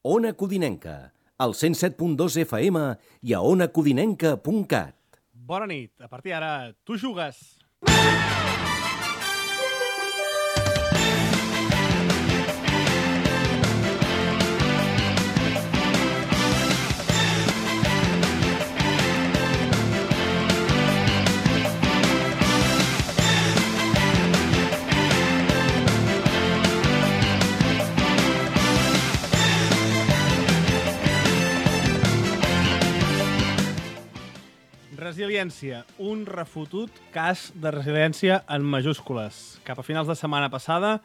Ona Codinenca, al 107.2 FM i a onacodinenca.cat. Bona nit. A partir d'ara, tu jugues. Resiliència, un refotut cas de resiliència en majúscules. Cap a finals de setmana passada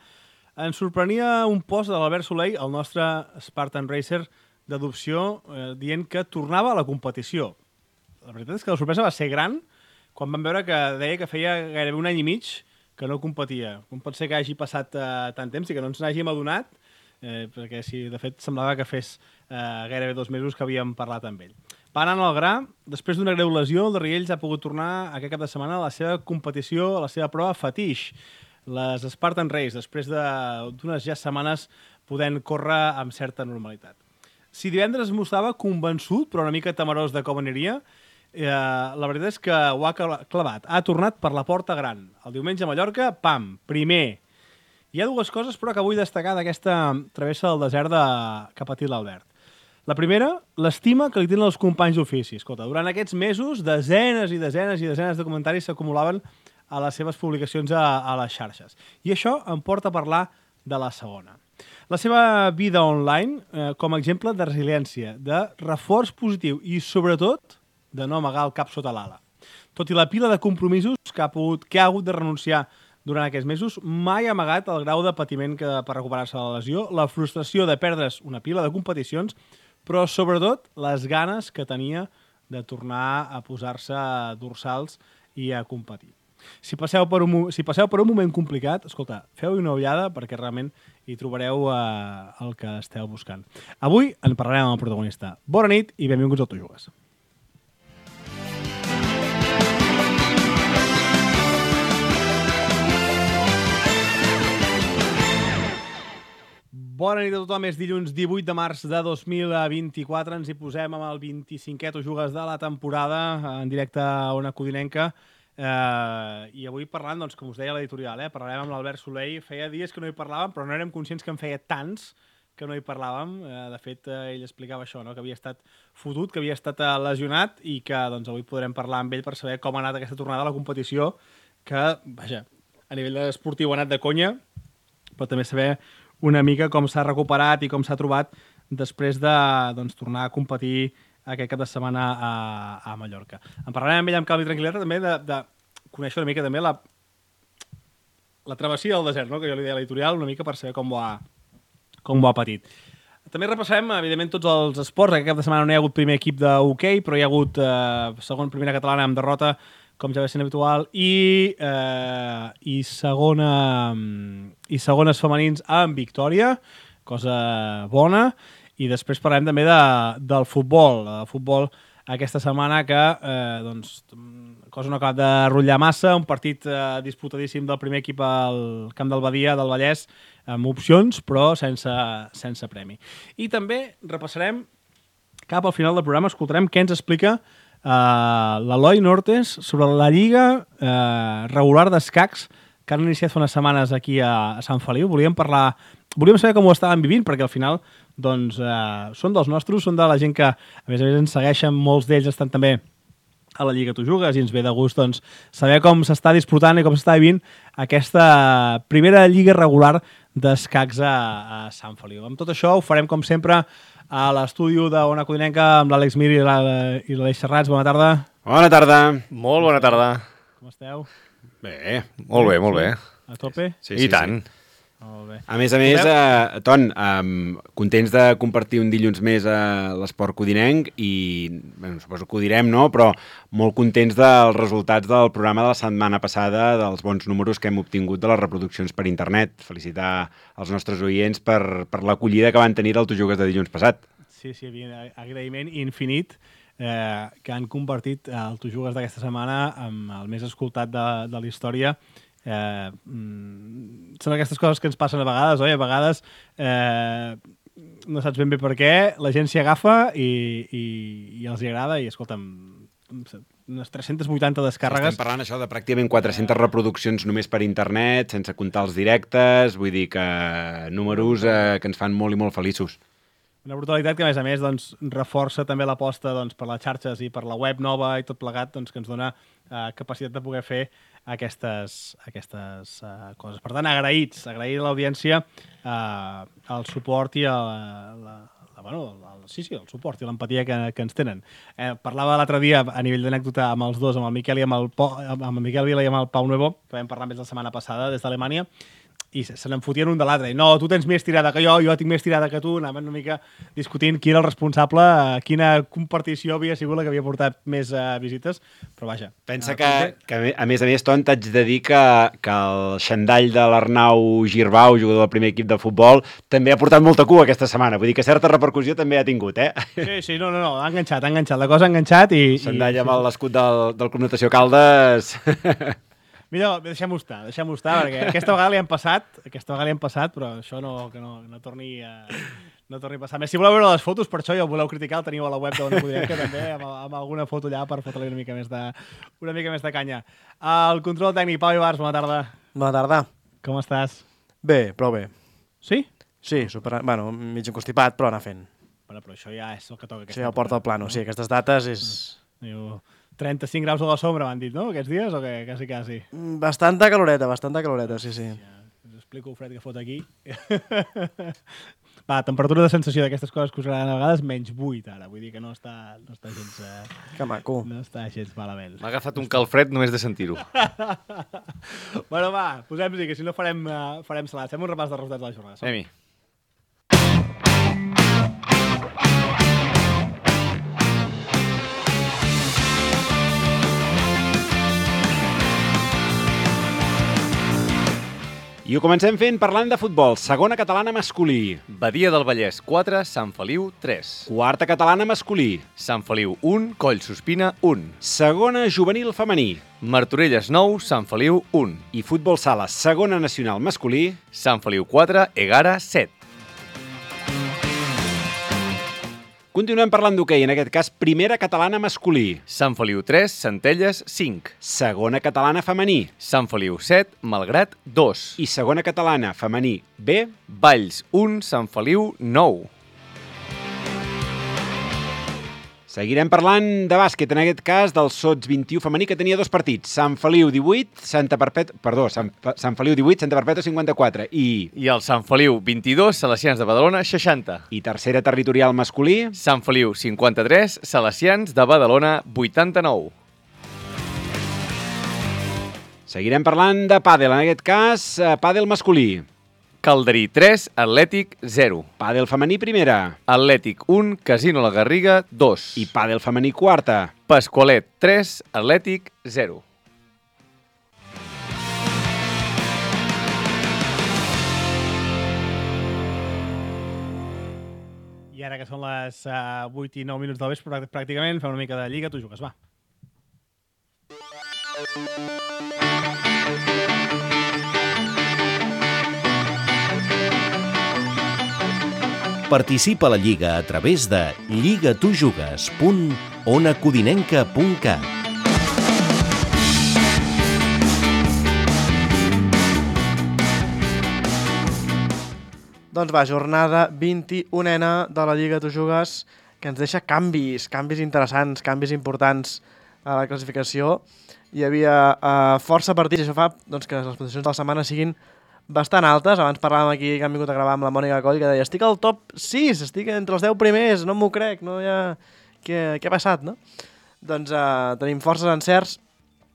ens sorprenia un post de l'Albert Soleil, el nostre Spartan Racer d'adopció, dient que tornava a la competició. La veritat és que la sorpresa va ser gran quan vam veure que deia que feia gairebé un any i mig que no competia. Com pot ser que hagi passat tant temps i que no ens n'hàgim adonat? Perquè sí, de fet semblava que fes gairebé 2 mesos que havíem parlat amb ell. Va anar al gra, després d'una greu lesió, el de Riells ha pogut tornar aquest cap de setmana a la seva competició, a la seva prova fetix, les Spartan Race, després d'unes ja setmanes podent córrer amb certa normalitat. Si divendres mostrava convençut, però una mica temerós de com aniria, la veritat és que ho ha clavat. Ha tornat per la porta gran. El diumenge a Mallorca, pam, primer. Hi ha dues coses, però, que vull destacar d'aquesta travessa del desert que ha patit l'Albert. La primera, l'estima que li tenen els companys d'ofici. Escolta, durant aquests mesos, desenes i desenes i desenes de comentaris s'acumulaven a les seves publicacions a les xarxes. I això em porta a parlar de la segona. La seva vida online, com a exemple de resiliència, de reforç positiu i, sobretot, de no amagar el cap sota l'ala. Tot i la pila de compromisos que ha hagut de renunciar durant aquests mesos, mai ha amagat el grau de patiment per recuperar-se de la lesió, la frustració de perdre's una pila de competicions, però sobretot les ganes que tenia de tornar a posar-se dorsals i a competir. Si passeu per un moment complicat, escolta, feu-hi una ullada perquè realment hi trobareu el que esteu buscant. Avui en parlarem amb el protagonista. Bona nit i benvinguts al Tu Jugues. Bona nit a tothom, és dilluns 18 de març de 2024, ens hi posem amb el 25è Tu Jugues de la temporada, en directe a Ona Codinenca, i avui parlant, doncs, com us deia l'editorial, parlarem amb l'Albert Soleil. Feia dies que no hi parlàvem, però no érem conscients que en feia tants que no hi parlàvem. De fet, ell explicava això, no? Que havia estat fotut, que havia estat lesionat i que doncs, avui podrem parlar amb ell per saber com ha anat aquesta tornada a la competició, que, vaja, a nivell esportiu ha anat de conya, però també saber una mica com s'ha recuperat i com s'ha trobat després de tornar a competir aquest cap de setmana a Mallorca. En parlarem amb ell amb calma i tranquil·litat també de conèixer una mica també la travessia del desert, no? Que jo li deia a l'editorial, una mica per saber com ho ha patit. També repassarem, evidentment, tots els esports. Aquest cap de setmana no hi ha hagut primer equip d'hoquei, però hi ha hagut primera catalana amb derrota, com ja va ser habitual, i segones femenins amb victòria, cosa bona, i després parlem també del futbol. El futbol aquesta setmana que cosa no acaba de rotllar massa, un partit disputadíssim del primer equip al Camp del Badia del Vallès, amb opcions, però sense premi. I també repassarem, cap al final del programa, escoltarem què ens explica l'Eloi Nortes sobre la lliga regular d'escacs que han iniciat fa unes setmanes aquí a Sant Feliu. Volíem saber com ho estaven vivint, perquè al final són dels nostres, són de la gent que a més ens segueixen, molts d'ells estan també a la Lliga Tu Jugues i ens ve de gust saber com s'està disputant i com s'està vivint aquesta primera lliga regular d'escacs a Sant Feliu. Amb tot això ho farem com sempre a l'estudi d'Ona Codinenca amb l'Àlex Mir i l'Aleix Serrats. Bona tarda. Bona tarda. Molt bona tarda. Com esteu? Bé, molt bé, molt bé. A tope? Sí, i tant. Molt bé. A més, Ton, contents de compartir un dilluns més a l'Esport Codinenc i, suposo que ho direm, no? Però molt contents dels resultats del programa de la setmana passada, dels bons números que hem obtingut de les reproduccions per internet. Felicitar els nostres oients per l'acollida que van tenir al Tu Jugues de dilluns passat. Sí, agraïment infinit que han convertit el Tu Jugues d'aquesta setmana amb el més escoltat de la història. Són aquestes coses que ens passen a vegades, oi? A vegades no saps ben bé per què, la gent s'hi agafa i els hi agrada i, escolta'm, unes 380 descàrregues. Estem parlant això de pràcticament 400 reproduccions només per internet, sense comptar els directes, vull dir que números que ens fan molt i molt feliços. Una brutalitat que, a més, doncs, reforça també l'aposta doncs, per les xarxes i per la web nova i tot plegat, doncs, que ens dona capacitat de poder fer aquestes coses. Per tant, agrair a l'audiència el suport i el suport i l'empatia que ens tenen. Parlava l'altre dia, a nivell d'anècdota, amb els dos, amb el Miquel Vila i amb el Pau Nuevo, que vam parlar més la setmana passada des d'Alemanya, i se n'en fotien un de l'altre. No, tu tens més tirada que jo tinc més tirada que tu. Anaven una mica discutint qui era el responsable, quina compartició havia sigut la que havia portat més visites, però vaja. Pensa que a més, Ton, t'haig de dir que el xandall de l'Arnau Girbau, jugador del primer equip de futbol, també ha portat molta cua aquesta setmana. Vull dir que certa repercussió també ha tingut, eh? Sí, no, ha enganxat. La cosa ha enganxat i... Xandall amb l'escut del Club Natació Caldes... Millor, deixem-ho estar, perquè aquesta vegada li han passat, però això no torni a passar. Més, si voleu veure les fotos, per això ja ho voleu criticar, el teniu a la web d'Ona Codinenca, també, amb alguna foto allà per fotre-li una mica més de canya. El control tècnic, Pau Ibars, bona tarda. Bona tarda. Com estàs? Bé, prou bé. Sí? Sí, mig encostipat, però anar fent. Bueno, però això ja és el que toca. Això ja ho porta al plano, sí, aquestes dates és... 35 graus a la sombra, m'han dit, no?, aquests dies, o què? Quasi. Bastanta caloreta, sí. Ja, us explico el fred que fot aquí. Va, temperatura de sensació d'aquestes coses que us agraden a vegades, -8 ara, vull dir que no està gens... Que maco. No està gens malament. M'ha agafat un calfred només de sentir-ho. Bueno, va, posem-hi, que si no farem salat. Fem un repàs de resultats de la jornada. Anem-hi. I ho comencem fent parlant de futbol. Segona catalana masculí. Badia del Vallès 4, Sant Feliu 3. Quarta catalana masculí. Sant Feliu 1, Collsospina 1. Segona juvenil femení. Martorelles 9, Sant Feliu 1. I futbol sala, segona nacional masculí. Sant Feliu 4, Egara 7. Continuem parlant d'hoquei, en aquest cas primera catalana masculí. Sant Feliu 3, Centelles 5. Segona catalana femení. Sant Feliu 7, Malgrat 2. I segona catalana femení B. Valls 1, Sant Feliu 9. Seguirem parlant de bàsquet, en aquest cas del Sots 21 femení, que tenia 2 partits. Sant Feliu 18, Sant Feliu 18, Santa Perpètua 54. I el Sant Feliu 22, Salesians de Badalona 60. I tercera territorial masculí. Sant Feliu 53, Salesians de Badalona 89. Seguirem parlant de pàdel, en aquest cas, pàdel masculí. Calderí 3, Atlètic 0. Pàdel femení primera. Atlètic 1, Casino La Garriga 2. I pàdel femení quarta. Pasqualet 3, Atlètic 0. I ara que són les 8 i 9 minuts del vespre, pràcticament fem una mica de lliga, tu jugues, va. Participa a la Lliga a través de lligatujugues.onacodinenca.cat. Doncs va, jornada 21a de la Lliga Tu Jugues, que ens deixa canvis interessants, canvis importants a la classificació. Hi havia força partits, i això fa doncs, que les posicions de la setmana siguin bastant altes. Abans parlàvem aquí, que han vingut a gravar amb la Mònica Coll, que deia, estic al top 6, estic entre els 10 primers, no m'ho crec, no hi ha... Què ha passat, no? Doncs tenim forces encerts.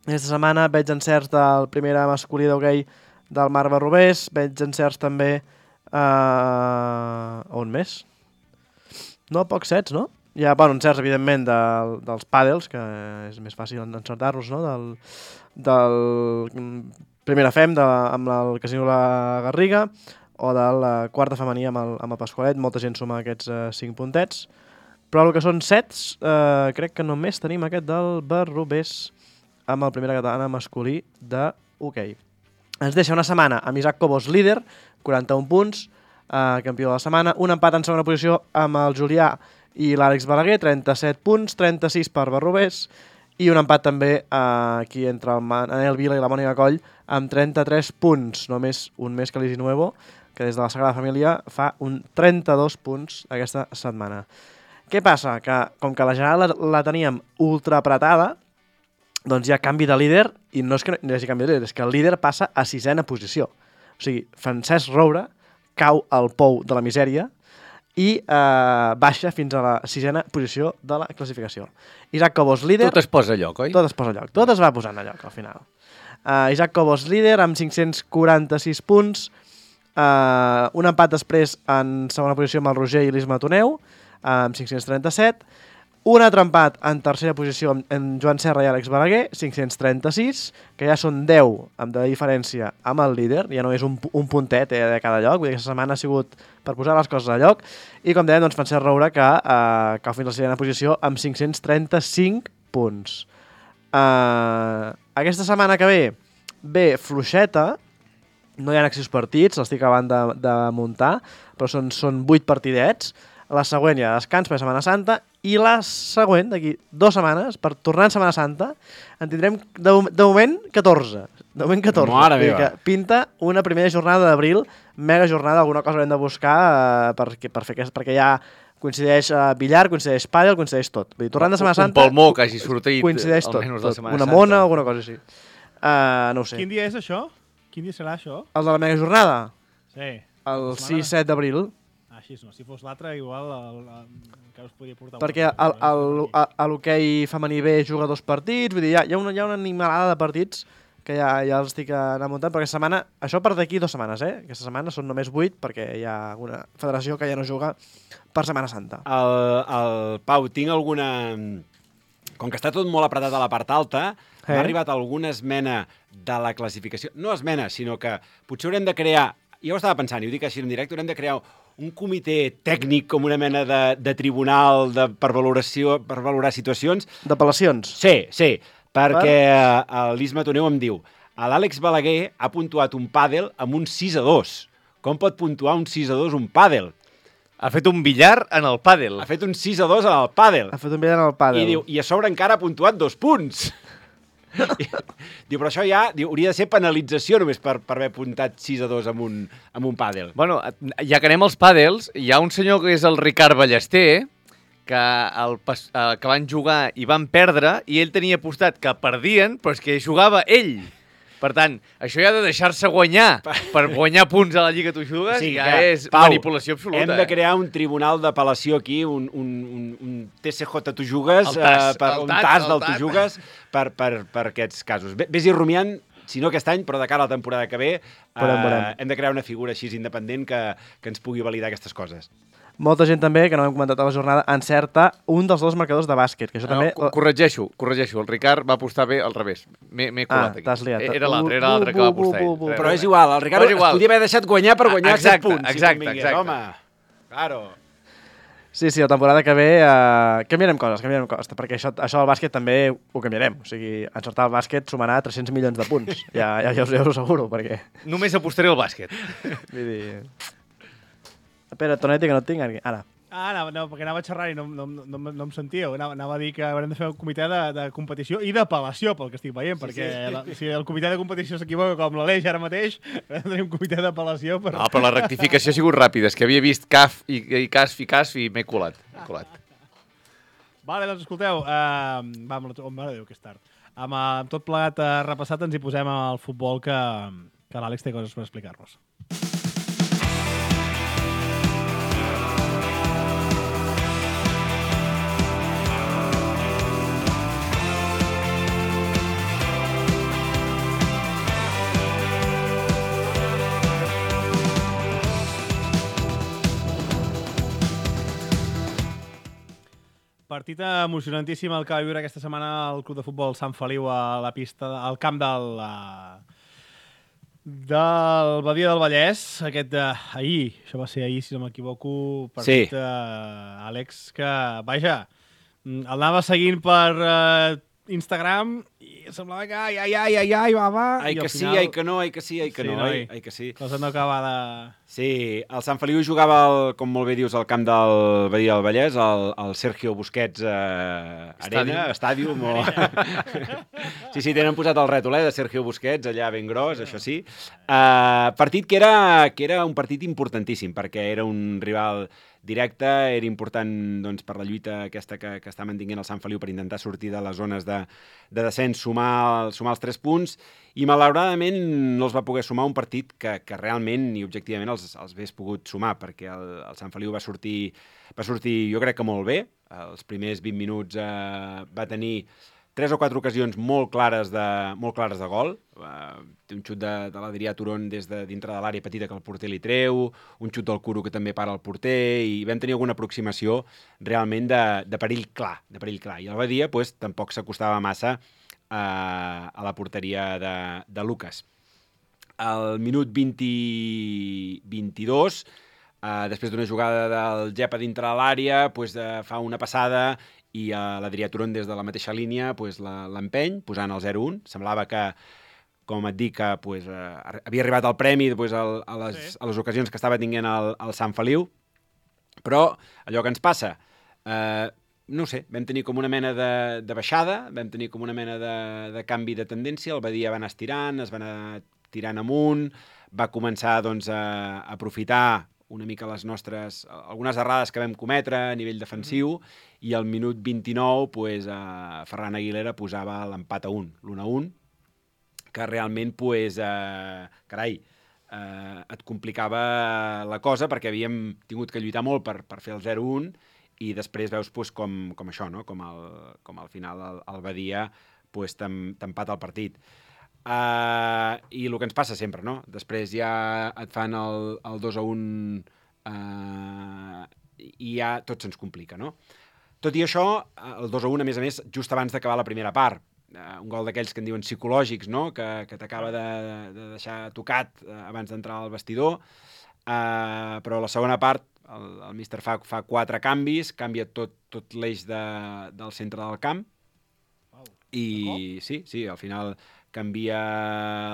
Aquesta setmana veig encerts del primera masculí d'hoquei del Marc Barrobés, veig encerts també... on més? No, pocs sets, no? Hi ha, encerts, evidentment, dels pàdels, que és més fàcil encertar-los, no? Del primera fem amb el Casino La Garriga, o de la quarta femení amb el Pasqualet. Molta gent suma aquests 5 puntets. Però el que són sets, crec que només tenim aquest del Barrobés amb el primera catalana masculí de hoquei. Ens deixa una setmana amb Isaac Cobos líder, 41 punts, campió de la setmana. Un empat en segona posició amb el Julià i l'Àlex Balaguer, 37 punts, 36 per Barrobés, i un empat també aquí entre el Manel Vila i la Mònica Coll amb 33 punts, només un més que l'Isi Nuevo, que des de la Sagrada Família fa un 32 punts aquesta setmana. Què passa? Que com que la general la teníem ultra apretada, doncs hi ha canvi de líder, i no és que no hi hagi canvi de líder, és que el líder passa a 6ª posició. O sigui, Francesc Roure cau al pou de la misèria i baixa fins a la 6ª posició de la classificació. Isaac Cobos, líder... Tot es posa a lloc, oi? Tot es posa a lloc. Tot es va posant a lloc, al final. Isaac Cobos, líder, amb 546 punts. Un empat després en segona posició amb el Roger i l'Isma Toneu, amb 537. Un altre empat en tercera posició amb Joan Serra i Àlex Balaguer, 536, que ja són 10 de diferència amb el líder, ja no és un puntet de cada lloc, vull dir que aquesta setmana ha sigut per posar les coses a lloc, i com dèiem, doncs, Francesc Roure, que cau fins a la 6ª posició amb 535 punts. Aquesta setmana que ve fluixeta, no hi ha accés partits, l'estic acabant de muntar, però són 8 partidets. La següent ja descans per Setmana Santa, i la següent, d'aquí 2 setmanes, per tornar en Setmana Santa, en tindrem de moment 14. De moment 14. Mare meva. Que pinta una primera jornada d'abril, mega jornada, alguna cosa haurem de buscar perquè ja coincideix billar, coincideix pàdel, coincideix tot. Vull dir, tornant de Setmana Santa... Un palmó que hagi sortit coincideix tot, almenys la Setmana una Santa. mona, alguna cosa així. No ho sé. Quin dia és això? Quin dia serà això? El de la mega jornada? Sí. El 6-7 d'abril. Així no. Si fos l'altre, igual encara us podria portar... Perquè l'hoquei femení B juga 2 partits, vull dir, hi ha una animalada de partits que ja els estic anant muntant, però aquesta setmana, això per d'aquí 2 setmanes, Aquesta setmana són només 8 perquè hi ha una federació que ja no juga per Setmana Santa. El Pau, tinc alguna... Com que està tot molt apretat a la part alta, m'ha arribat alguna esmena de la classificació. No esmena, sinó que potser haurem de crear... Jo ho estava pensant, i ho dic així en directe, haurem de crear un comitè tècnic com una mena de tribunal per valorar situacions. D'apel·lacions? Sí, perquè l'Isma Toneu em diu l'Àlex Balaguer ha puntuat un pàdel amb un 6-2. Com pot puntuar un 6-2 un pàdel? Ha fet un billar en el pàdel. Ha fet un 6-2 en el pàdel. Ha fet un billar en el pàdel. I diu, i a sobre encara ha puntuat 2 punts. Diu, però això ja hauria de ser penalització només per haver apuntat 6-2 amb un pàdel. Bueno, ja que anem als pàdels, hi ha un senyor que és el Ricard Ballester, que van jugar i van perdre, i ell tenia apostat que perdien, però és que jugava ell. Per tant, això ja de deixar-se guanyar per guanyar punts a la Lliga Tu Jugues, sí, ja és Pau, manipulació absoluta. Hem de crear un tribunal d'apel·lació aquí, un TCJ Tu Jugues, un TAS del Tu Jugues per aquests casos. Vés-hi rumiant, si no aquest any, però de cara a la temporada que ve, hem de crear una figura així independent que ens pugui validar aquestes coses. Molta gent també, que no hem comentat a la jornada, encerta un dels 2 marcadors de bàsquet. Que això també... Corregeixo. El Ricard va apostar bé al revés. M'he colat aquí. T'has liat. Era l'altre que va apostar ell. Però és igual, el Ricard es podia haver deixat guanyar per guanyar 7 punts. Exacte. Home, claro. Sí, la temporada que ve canviarem coses, perquè això del bàsquet també ho canviarem. O sigui, encertar el bàsquet sumarà 300 milions de punts. Ja us ho asseguro, perquè... Només apostaré al bàsquet. Vull dir... Espera, Tonetti, que no et tinc aquí. Ara. No, perquè anava a xerrar i no em sentíeu. Anava a dir que haurem de fer un comitè de competició i d'apel·lació, pel que estic veient, perquè si el comitè de competició s'equivoca com l'Aleix ara mateix, haurem de tenir un comitè d'apel·lació. No, però la rectificació ha sigut ràpida. És que havia vist CAF i CASF i m'he colat. Vale, doncs escolteu, mare Déu, que és tard. Amb tot plegat repassat ens hi posem al futbol que l'Àlex té coses per explicar-nos. Partit emocionantíssim el que va viure aquesta setmana el Club de Futbol Sant Feliu a la pista, al camp del Badia del Vallès. Ahir, això va ser ahir, si no m'equivoco, partit, Àlex, que, vaja, el anava seguint per Instagram i semblava que ai, va. Ai que sí, ai que no, ai que sí, ai que no, ai que sí. Cosa no acaba de... Sí, el Sant Feliu jugava, com molt bé dius, al camp del Badia del Vallès, el Sergio Busquets Arena, Stadium. Sí, tenen posat el rètol de Sergio Busquets, allà ben gros, això sí. Partit que era un partit importantíssim, perquè era un rival directe, era important doncs, per la lluita aquesta que està mantinguent el Sant Feliu per intentar sortir de les zones de descens, sumar els 3 punts, i malauradament no els va poder sumar un partit que realment i objectivament els hagués pogut sumar, perquè el Sant Feliu va sortir jo crec que molt bé. Els primers 20 minuts va tenir 3 o 4 ocasions molt clares de gol. Té un xut de l'Adrià Turon des de dintre de l'àrea petita que el porter li treu, un xut del Curo que també para el porter, i vam tenir alguna aproximació realment de perill clar. I el Badia pues, tampoc s'acostava massa a la porteria de Lucas. Al minut 22, després d'una jugada del Gep a dintre de l'àrea, pues, fa una passada i l'Adrià Turon des de la mateixa línia pues, l'empeny, posant el 0-1. Semblava que, com et dic, que pues, havia arribat el premi pues, a les ocasions que estava tinguent el Sant Feliu, però allò que ens passa, no sé, vam tenir com una mena de baixada, vam tenir com una mena de canvi de tendència, el Badia va anar estirant, es va anar tirant amunt, va començar doncs, a aprofitar una mica algunes errades que vam cometre a nivell defensiu, i al minut 29 pues, Ferran Aguilera posava l'empat a 1, l'1-1, que realment pues, et complicava la cosa, perquè havíem tingut que lluitar molt per fer el 0-1, i després veus pues, com això, no? com al final el Badia pues, t'empata el partit. I el que ens passa sempre, no? Després ja et fan el 2-1 i ja tot se'ns complica, no? Tot i això, el 2-1, a més, just abans d'acabar la primera part, un gol d'aquells que en diuen psicològics, no? Que t'acaba de deixar tocat abans d'entrar al vestidor, però a la segona part el míster fa 4 canvis, canvia tot l'eix del centre del camp, i sí, al final canvia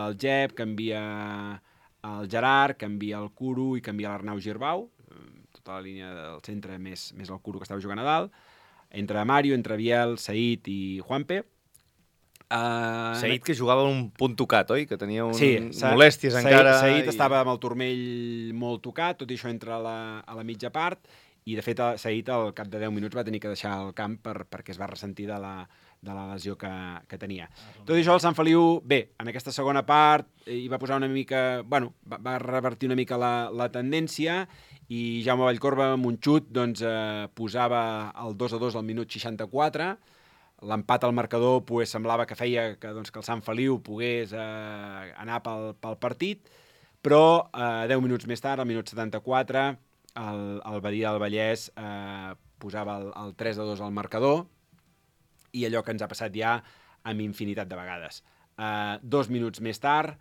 el Gep, canvia el Gerard, canvia el Curo i canvia l'Arnau Girbau, tota la línia del centre més el Curo que estava jugant a dalt, entre Mario, entre Biel, Said i Juanpe. Said que jugava un punt tocat, oi? Que tenia molèsties encara. Said estava amb el turmell molt tocat, tot i això entra a la mitja part, i de fet Said al cap de 10 minuts va tenir que deixar el camp perquè es va ressentir de la lesió que tenia. Tot i això, el Sant Feliu, bé, en aquesta segona part hi va posar una mica... Bueno, va revertir una mica la tendència, i Jaume Vallcorba, amb un xut, doncs, posava el 2-2 al minut 64. L'empat al marcador pues, semblava que feia que el Sant Feliu pogués anar pel partit, però 10 minuts més tard, al minut 74, el Badia del Vallès posava el 3-2 al marcador, i allò que ens ha passat ja amb infinitat de vegades. 2 minuts més tard,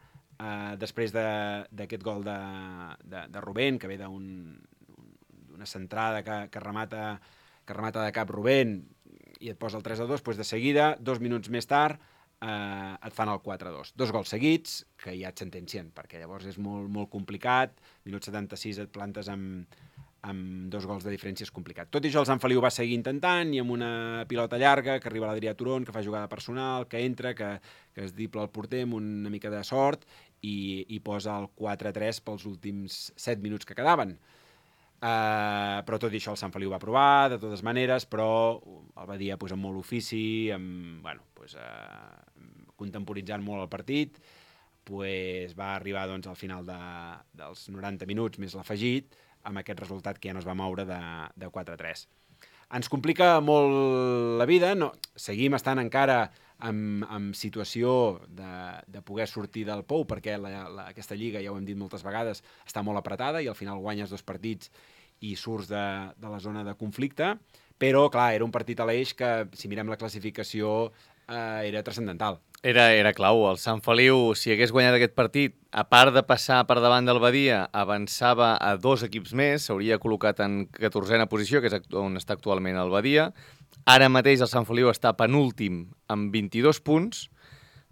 després d'aquest gol de Rubén, que ve d'una centrada que remata de cap Rubén i et posa el 3-2, doncs de seguida, 2 minuts més tard, et fan el 4-2. 2 gols seguits que ja et sentencien, perquè llavors és molt, molt complicat. Minut 76 et plantes amb 2 gols de diferència, és complicat. Tot i això, el Sant Feliu va seguir intentant, i amb una pilota llarga que arriba a l'Adrià Turon, que fa jugada personal, que entra, que es dipla el porter amb una mica de sort, i posa el 4-3 pels últims 7 minuts que quedaven. Però tot i això el Sant Feliu va provar, de totes maneres, però el Badia amb molt ofici, contemporitzant molt el partit, va arribar al final dels 90 minuts més l'afegit, amb aquest resultat que ja no es va moure de 4-3. Ens complica molt la vida, seguim estant encara en situació de poder sortir del pou, perquè aquesta lliga, ja ho hem dit moltes vegades, està molt apretada, i al final guanyes 2 partits i surts de la zona de conflicte, però clar, era un partit a l'eix que, si mirem la classificació, era transcendental. Era clau. El Sant Feliu, si hagués guanyat aquest partit, a part de passar per davant del Badia, avançava a 2 equips més, s'hauria col·locat en 14a posició, que és on està actualment el Badia. Ara mateix el Sant Feliu està penúltim amb 22 punts.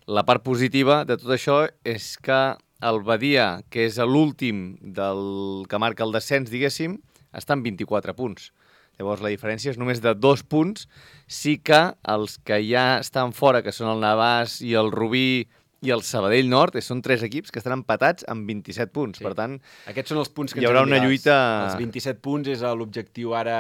La part positiva de tot això és que el Badia, que és l'últim que marca el descens, diguéssim, està amb 24 punts. Llavors, la diferència és només de 2 punts. Sí que els que ja estan fora, que són el Navàs i el Rubí i el Sabadell Nord, són 3 equips que estan empatats amb 27 punts. Sí. Per tant, aquests són els punts que hi haurà ens hem de una mirar. lluita... Els 27 punts és l'objectiu ara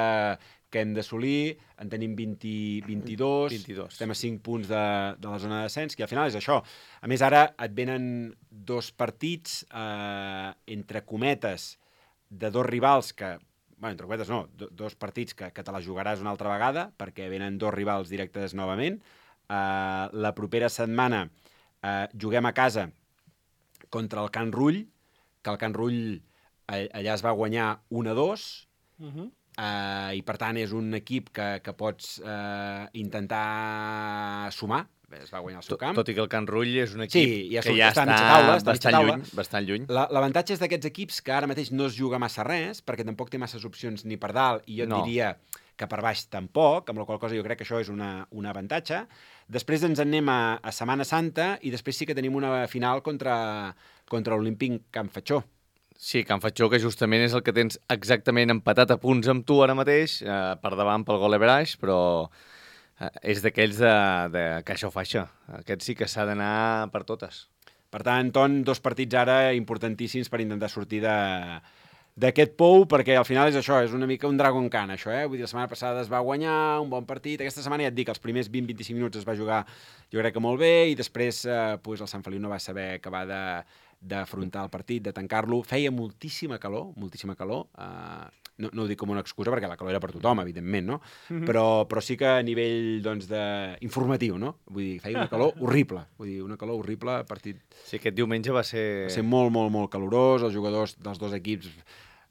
que hem d'assolir. En tenim 22. Estem a 5 punts de la zona de descens, que al final és això. A més, ara et venen 2 partits, entre cometes, de 2 rivals que... Bueno, entre cometes no, 2 partits que te la jugaràs una altra vegada, perquè venen 2 rivals directes novament. La propera setmana juguem a casa contra el Can Rull, que el Can Rull allà es va guanyar 1-2, i per tant és un equip que pots intentar sumar. Es va guanyar el seu camp. Tot i que el Can Rull és un equip ja que ja està bastant lluny. L'avantatge és d'aquests equips que ara mateix no es juga massa res, perquè tampoc té masses opcions ni per dalt, i jo et diria que per baix tampoc, amb la qual cosa jo crec que això és un avantatge. Després ens en anem a Setmana Santa, i després sí que tenim una final contra l'Olímpic Can Fatxó. Sí, Can Fatxó, que justament és el que tens exactament empatat a punts amb tu ara mateix, per davant pel Goleverage, però és d'aquells de caixa o faixa. Aquest sí que s'ha d'anar per totes. Per tant, Ton, 2 partits ara importantíssims per intentar sortir d'aquest pou, perquè al final és això, és una mica un Dragon Khan, això, Vull dir, la setmana passada es va guanyar un bon partit, aquesta setmana ja et dic, els primers 20-25 minuts es va jugar, jo crec que molt bé, i després el Sant Feliu no va saber acabar d'afrontar el partit, de tancar-lo. Feia moltíssima calor, no ho dic com una excusa, perquè la calor era per tothom, evidentment, no? Però sí que a nivell, doncs, informatiu, no? Vull dir, feia una calor horrible, partit... Sí, aquest diumenge va ser molt, molt, molt calorós, els jugadors dels 2 equips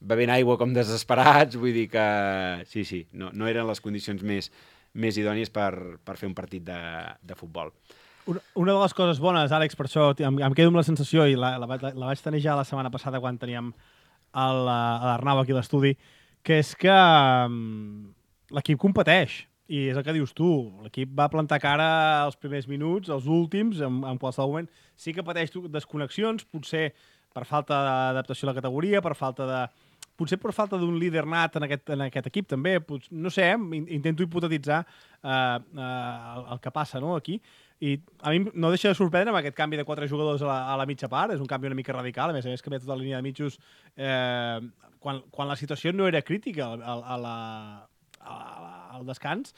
bevent aigua com desesperats, vull dir que sí, no eren les condicions més idònies per fer un partit de futbol. Una de les coses bones, Àlex, per això em quedo amb la sensació, i la vaig tenir ja la setmana passada quan teníem l'Arnau aquí a l'estudi, que és que l'equip competeix, i és el que dius tu, l'equip va plantar cara als primers minuts, als últims, en qualsevol moment. Sí que pateix desconnexions, potser per falta d'adaptació a la categoria, potser per falta d'un líder nat en aquest equip també, no sé, intento hipotetitzar el que passa, no, aquí. I a mi no deixa de sorprendre amb aquest canvi de 4 jugadors a la mitja part, és un canvi una mica radical, a més canvia tota la línia de mitjos quan la situació no era crítica al descans.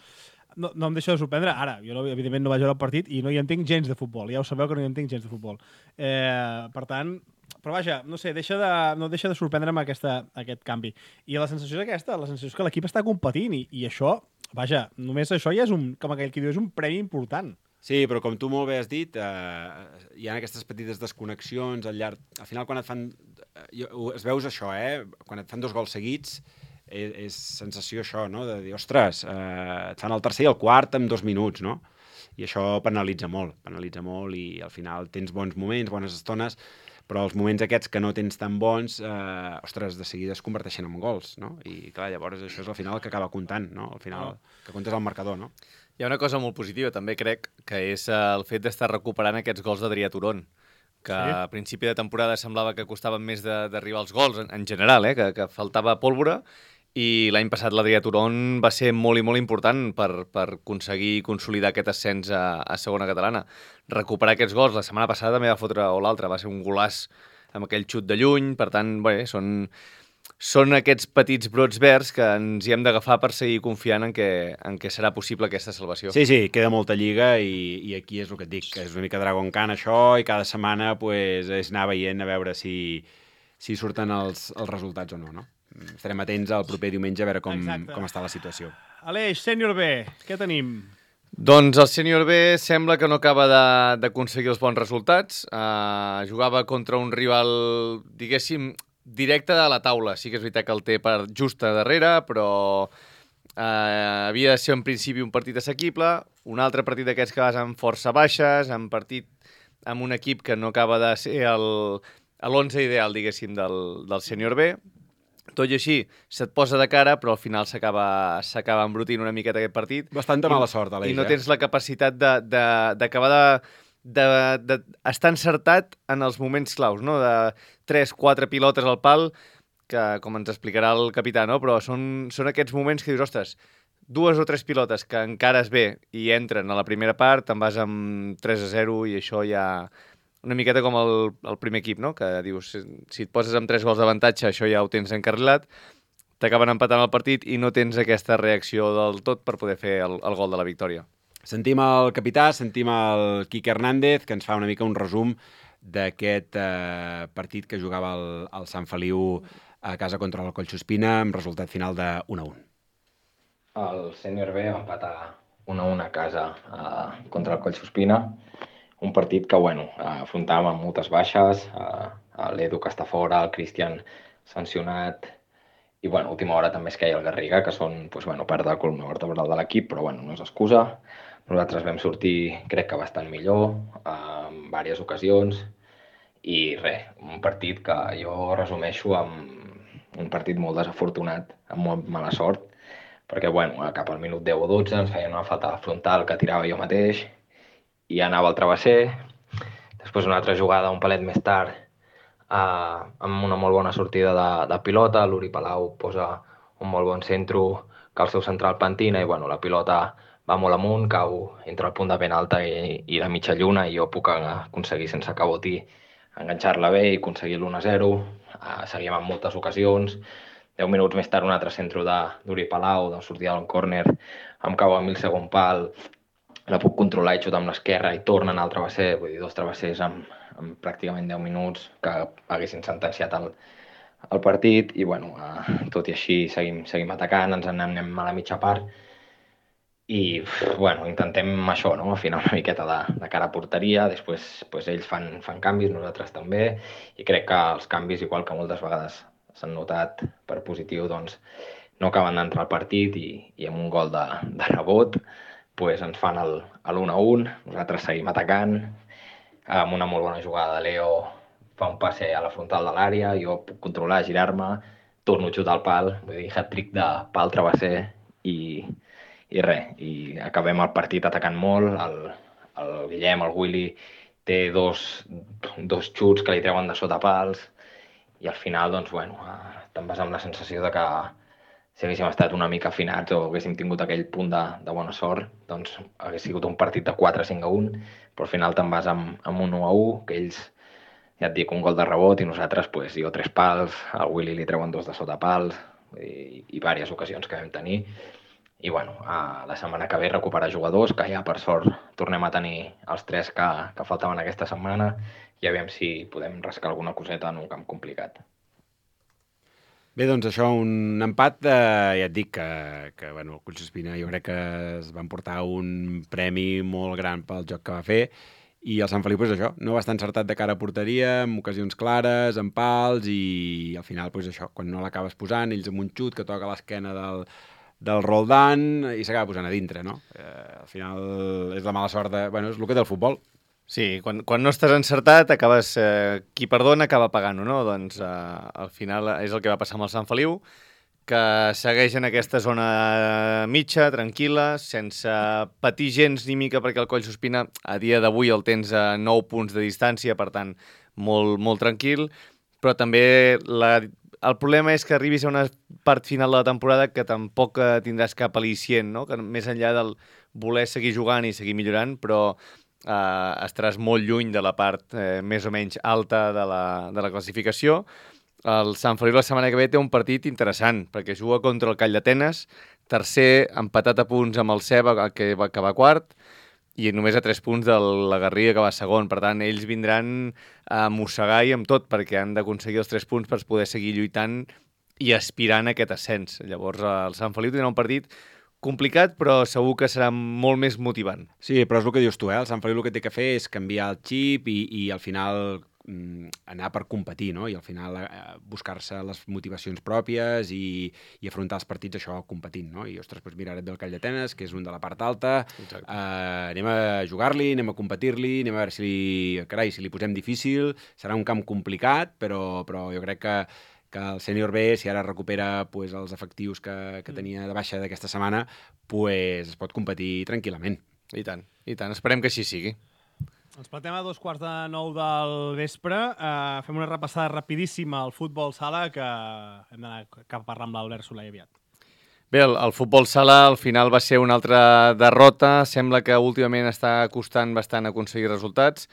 No em deixa de sorprendre. Ara, jo evidentment no vaig veure el partit i no hi entenc gens de futbol, ja ho sabeu que no hi entenc gens de futbol. Per tant, però vaja, no sé, no deixa de sorprendre'm aquest canvi. I la sensació és aquesta, la sensació és que l'equip està competint i això, vaja, només això ja és com aquell que diu, és un premi important. Sí, però com tu molt bé has dit, hi ha aquestes petites desconnexions al llarg... Al final, quan et fan... Es veus això, quan et fan 2 gols seguits, és sensació això, no? De dir, ostres, et fan el tercer i el quart en 2 minuts, no? I això penalitza molt i al final tens bons moments, bones estones, però els moments aquests que no tens tan bons, ostres, de seguida es converteixen en gols, no? I clar, llavors això és al final el que acaba comptant, no? Al final, que comptes el marcador, no? Hi ha una cosa molt positiva, també crec, que és el fet d'estar recuperant aquests gols d'Adrià Turón, que a principi de temporada semblava que costaven més d'arribar als gols, en general, que faltava pólvora, i l'any passat l'Adrià Turón va ser molt i molt important per aconseguir consolidar aquest ascens a segona catalana. Recuperar aquests gols, la setmana passada també va fotre, o l'altra, va ser un golaç amb aquell xut de lluny, per tant, bé, són aquests petits brots verds que ens hi hem d'agafar per seguir confiant en què serà possible aquesta salvació. Sí, queda molta lliga i aquí és el que et dic, que és una mica Dragon Khan això, i cada setmana pues, és anar veient a veure si surten els resultats o no? Estarem atents al proper diumenge a veure com està la situació. Aleix, sènior B, què tenim? Doncs el sènior B sembla que no acaba d'aconseguir els bons resultats. Jugava contra un rival, diguéssim, directe de la taula. Sí que és veritat que el té per justa darrere, però havia de ser en principi un partit assequible, un altre partit d'aquests que vas amb força baixes, amb partit amb un equip que no acaba de ser l'11 ideal, diguéssim, del sènior B. Tot i així, se't posa de cara, però al final s'acaba embrutint una miqueta aquest partit. Bastanta mala sort, Aleix. I no tens la capacitat d'acabar d'estar encertat en els moments claus, no? De 3-4 pilotes al pal, que, com ens explicarà el capità, no? Però són aquests moments que dius, ostres, 2 o 3 pilotes que encares bé i entren a la primera part, te'n vas amb 3-0 i això ja... Una miqueta com el primer equip, no? Que dius, si et poses amb 3 gols d'avantatge, això ja ho tens encarrilat, t'acaben empatant el partit i no tens aquesta reacció del tot per poder fer el gol de la victòria. Sentim el capità, sentim el Quique Hernández, que ens fa una mica un resum d'aquest partit que jugava el Sant Feliu a casa contra el Collsospina amb resultat final de 1-1. El sènior B va empatar 1-1 a casa contra el Collsospina, un partit que, afrontàvem amb moltes baixes, l'Edu que està fora, el Cristian sancionat, i, última hora també es queia el Garriga, que són, part de la columna vertebral de l'equip, però, no és excusa. Nosaltres vam sortir, crec que bastant millor, en diverses ocasions, i un partit que jo resumeixo amb un partit molt desafortunat, amb molt mala sort, perquè, cap al minut 10 o 12 ens feien una falta frontal que tirava jo mateix, i anava al travesser. Després una altra jugada un palet més tard, amb una molt bona sortida de pilota, l'Uri Palau posa un molt bon centre que el seu central pentina i la pilota va molt amunt, cau entre el punt de ben alta i la mitja lluna i jo puc aconseguir sense cabotí enganxar-la bé i aconseguir l'1-0. Seguíem en moltes ocasions. 10 minuts més tard un altre centre d'Uri Palau, de sortida d'un córner, em cau a 1000 segon pal, la puc controlar i xutar amb l'esquerra i tornen al travesser, vull dir, 2 travessers amb pràcticament 10 minuts que haguessin sentenciat el partit i, tot i així seguim atacant, ens n'anem a la mitja part i, intentem això, no? Afinar una miqueta de cara a porteria, després ells fan canvis, nosaltres també, i crec que els canvis, igual que moltes vegades s'han notat per positiu, doncs no acaben d'entrar al partit i amb un gol de rebot ens fan l'1-1, nosaltres seguim atacant, amb una molt bona jugada de Leo fa un passe a la frontal de l'àrea, jo puc controlar, girar-me, torno a xutar al pal, vull dir, hat-trick de pal travesser i acabem el partit atacant molt, el Guillem, el Willy, té dos xuts que li treuen de sota pals i al final, te'n vas amb la sensació de que si haguéssim estat una mica afinats o haguéssim tingut aquell punt de bona sort, doncs hagués sigut un partit de 4-5-1, però al final te'n vas amb 1-1, que ells, ja et dic, un gol de rebot i nosaltres, jo 3 pals, al Willy li treuen 2 de sota pals i diverses ocasions que vam tenir. I la setmana que ve recuperar jugadors, que ja per sort tornem a tenir els 3 que faltaven aquesta setmana i aviam si podem rascar alguna coseta en un camp complicat. Bé, doncs això, un empat, ja et dic que el Collsospina jo crec que es van portar un premi molt gran pel joc que va fer i el Sant Feliu, això, no va estar encertat de cara a porteria, amb ocasions clares, amb pals i al final, això, quan no l'acabes posant, ells amb un xut que toca l'esquena del Roldán i s'acaba posant a dintre, no? Al final és la mala sort és el que té el futbol. Sí, quan no estàs encertat, acabes... qui perdona acaba pagant-ho, no? Doncs al final és el que va passar amb el Sant Feliu, que segueix en aquesta zona mitja, tranquil·la, sense patir gens ni mica, perquè el Collsospina a dia d'avui el tens a 9 punts de distància, per tant, molt, molt tranquil, però també el problema és que arribis a una part final de la temporada que tampoc tindràs cap al·licient, no? Que més enllà del voler seguir jugant i seguir millorant, però estaràs molt lluny de la part més o menys alta de la classificació. El Sant Feliu la setmana que ve té un partit interessant, perquè juga contra el Call d'Atenes, tercer, empatat a punts amb el Ceba, que va quart, i només a 3 punts de la Garriga, que va segon. Per tant, ells vindran a mossegar i amb tot, perquè han d'aconseguir els 3 punts per poder seguir lluitant i aspirant a aquest ascens. Llavors, el Sant Feliu tindrà un partit complicat, però segur que serà molt més motivant. Sí, però és el que dius tu, el Sant Feliu el que té que fer és canviar el xip i al final anar per competir, no? I al final buscar-se les motivacions pròpies i afrontar els partits això competint, no? I, ostres, doncs mira, ara et ve el Call d'Atenes, que és un de la part alta, anem a jugar-li, anem a competir-li, anem a veure si li posem difícil, serà un camp complicat, però jo crec que el sènior B, si ara recupera pues, els efectius que tenia de baixa d'aquesta setmana, pues, es pot competir tranquil·lament. I tant. Esperem que així sigui. Ens plantem a 8:45 del vespre. Fem una repassada rapidíssima al futbol sala, que hem d'anar cap a parlar amb l'Albert Soler aviat. Bé, el futbol sala al final va ser una altra derrota. Sembla que últimament està costant bastant aconseguir resultats.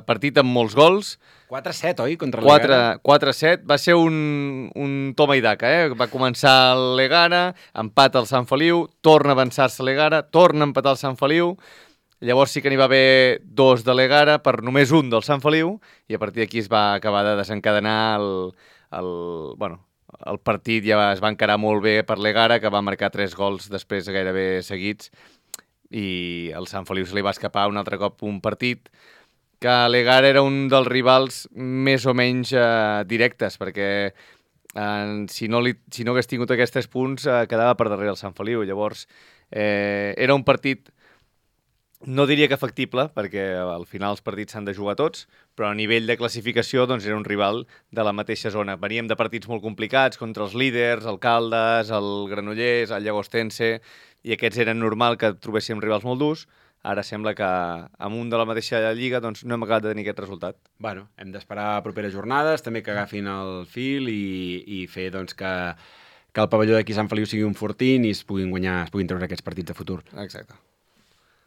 Partit amb molts gols. 4-7, oi? Contra l'Egara. 4-7. Va ser un toma i daca, Va començar l'Egara, empat al Sant Feliu, torna a avançar-se l'Egara, torna a empatar el Sant Feliu. Llavors sí que n'hi va haver 2 de l'Egara per només un del Sant Feliu i a partir d'aquí es va acabar de desencadenar el partit. Ja es va encarar molt bé per l'Egara, que va marcar 3 gols després gairebé seguits, i el Sant Feliu se li va escapar un altre cop un partit que l'Egara era un dels rivals més o menys directes, perquè si no hagués tingut aquests 3 punts quedava per darrere el Sant Feliu. Llavors era un partit, no diria que factible, perquè al final els partits s'han de jugar tots, però a nivell de classificació doncs, era un rival de la mateixa zona. Veníem de partits molt complicats contra els líders, el Caldes, el Granollers, el Llagostense, i aquests eren normal que trobéssim rivals molt durs. Ara sembla que amb un de la mateixa lliga doncs, no hem acabat de tenir aquest resultat. Bueno, hem d'esperar properes jornades, també que agafin el fil i fer doncs, que el pavelló d'aquí Sant Feliu sigui un fortín i es puguin treure aquests partits de futur. Exacte.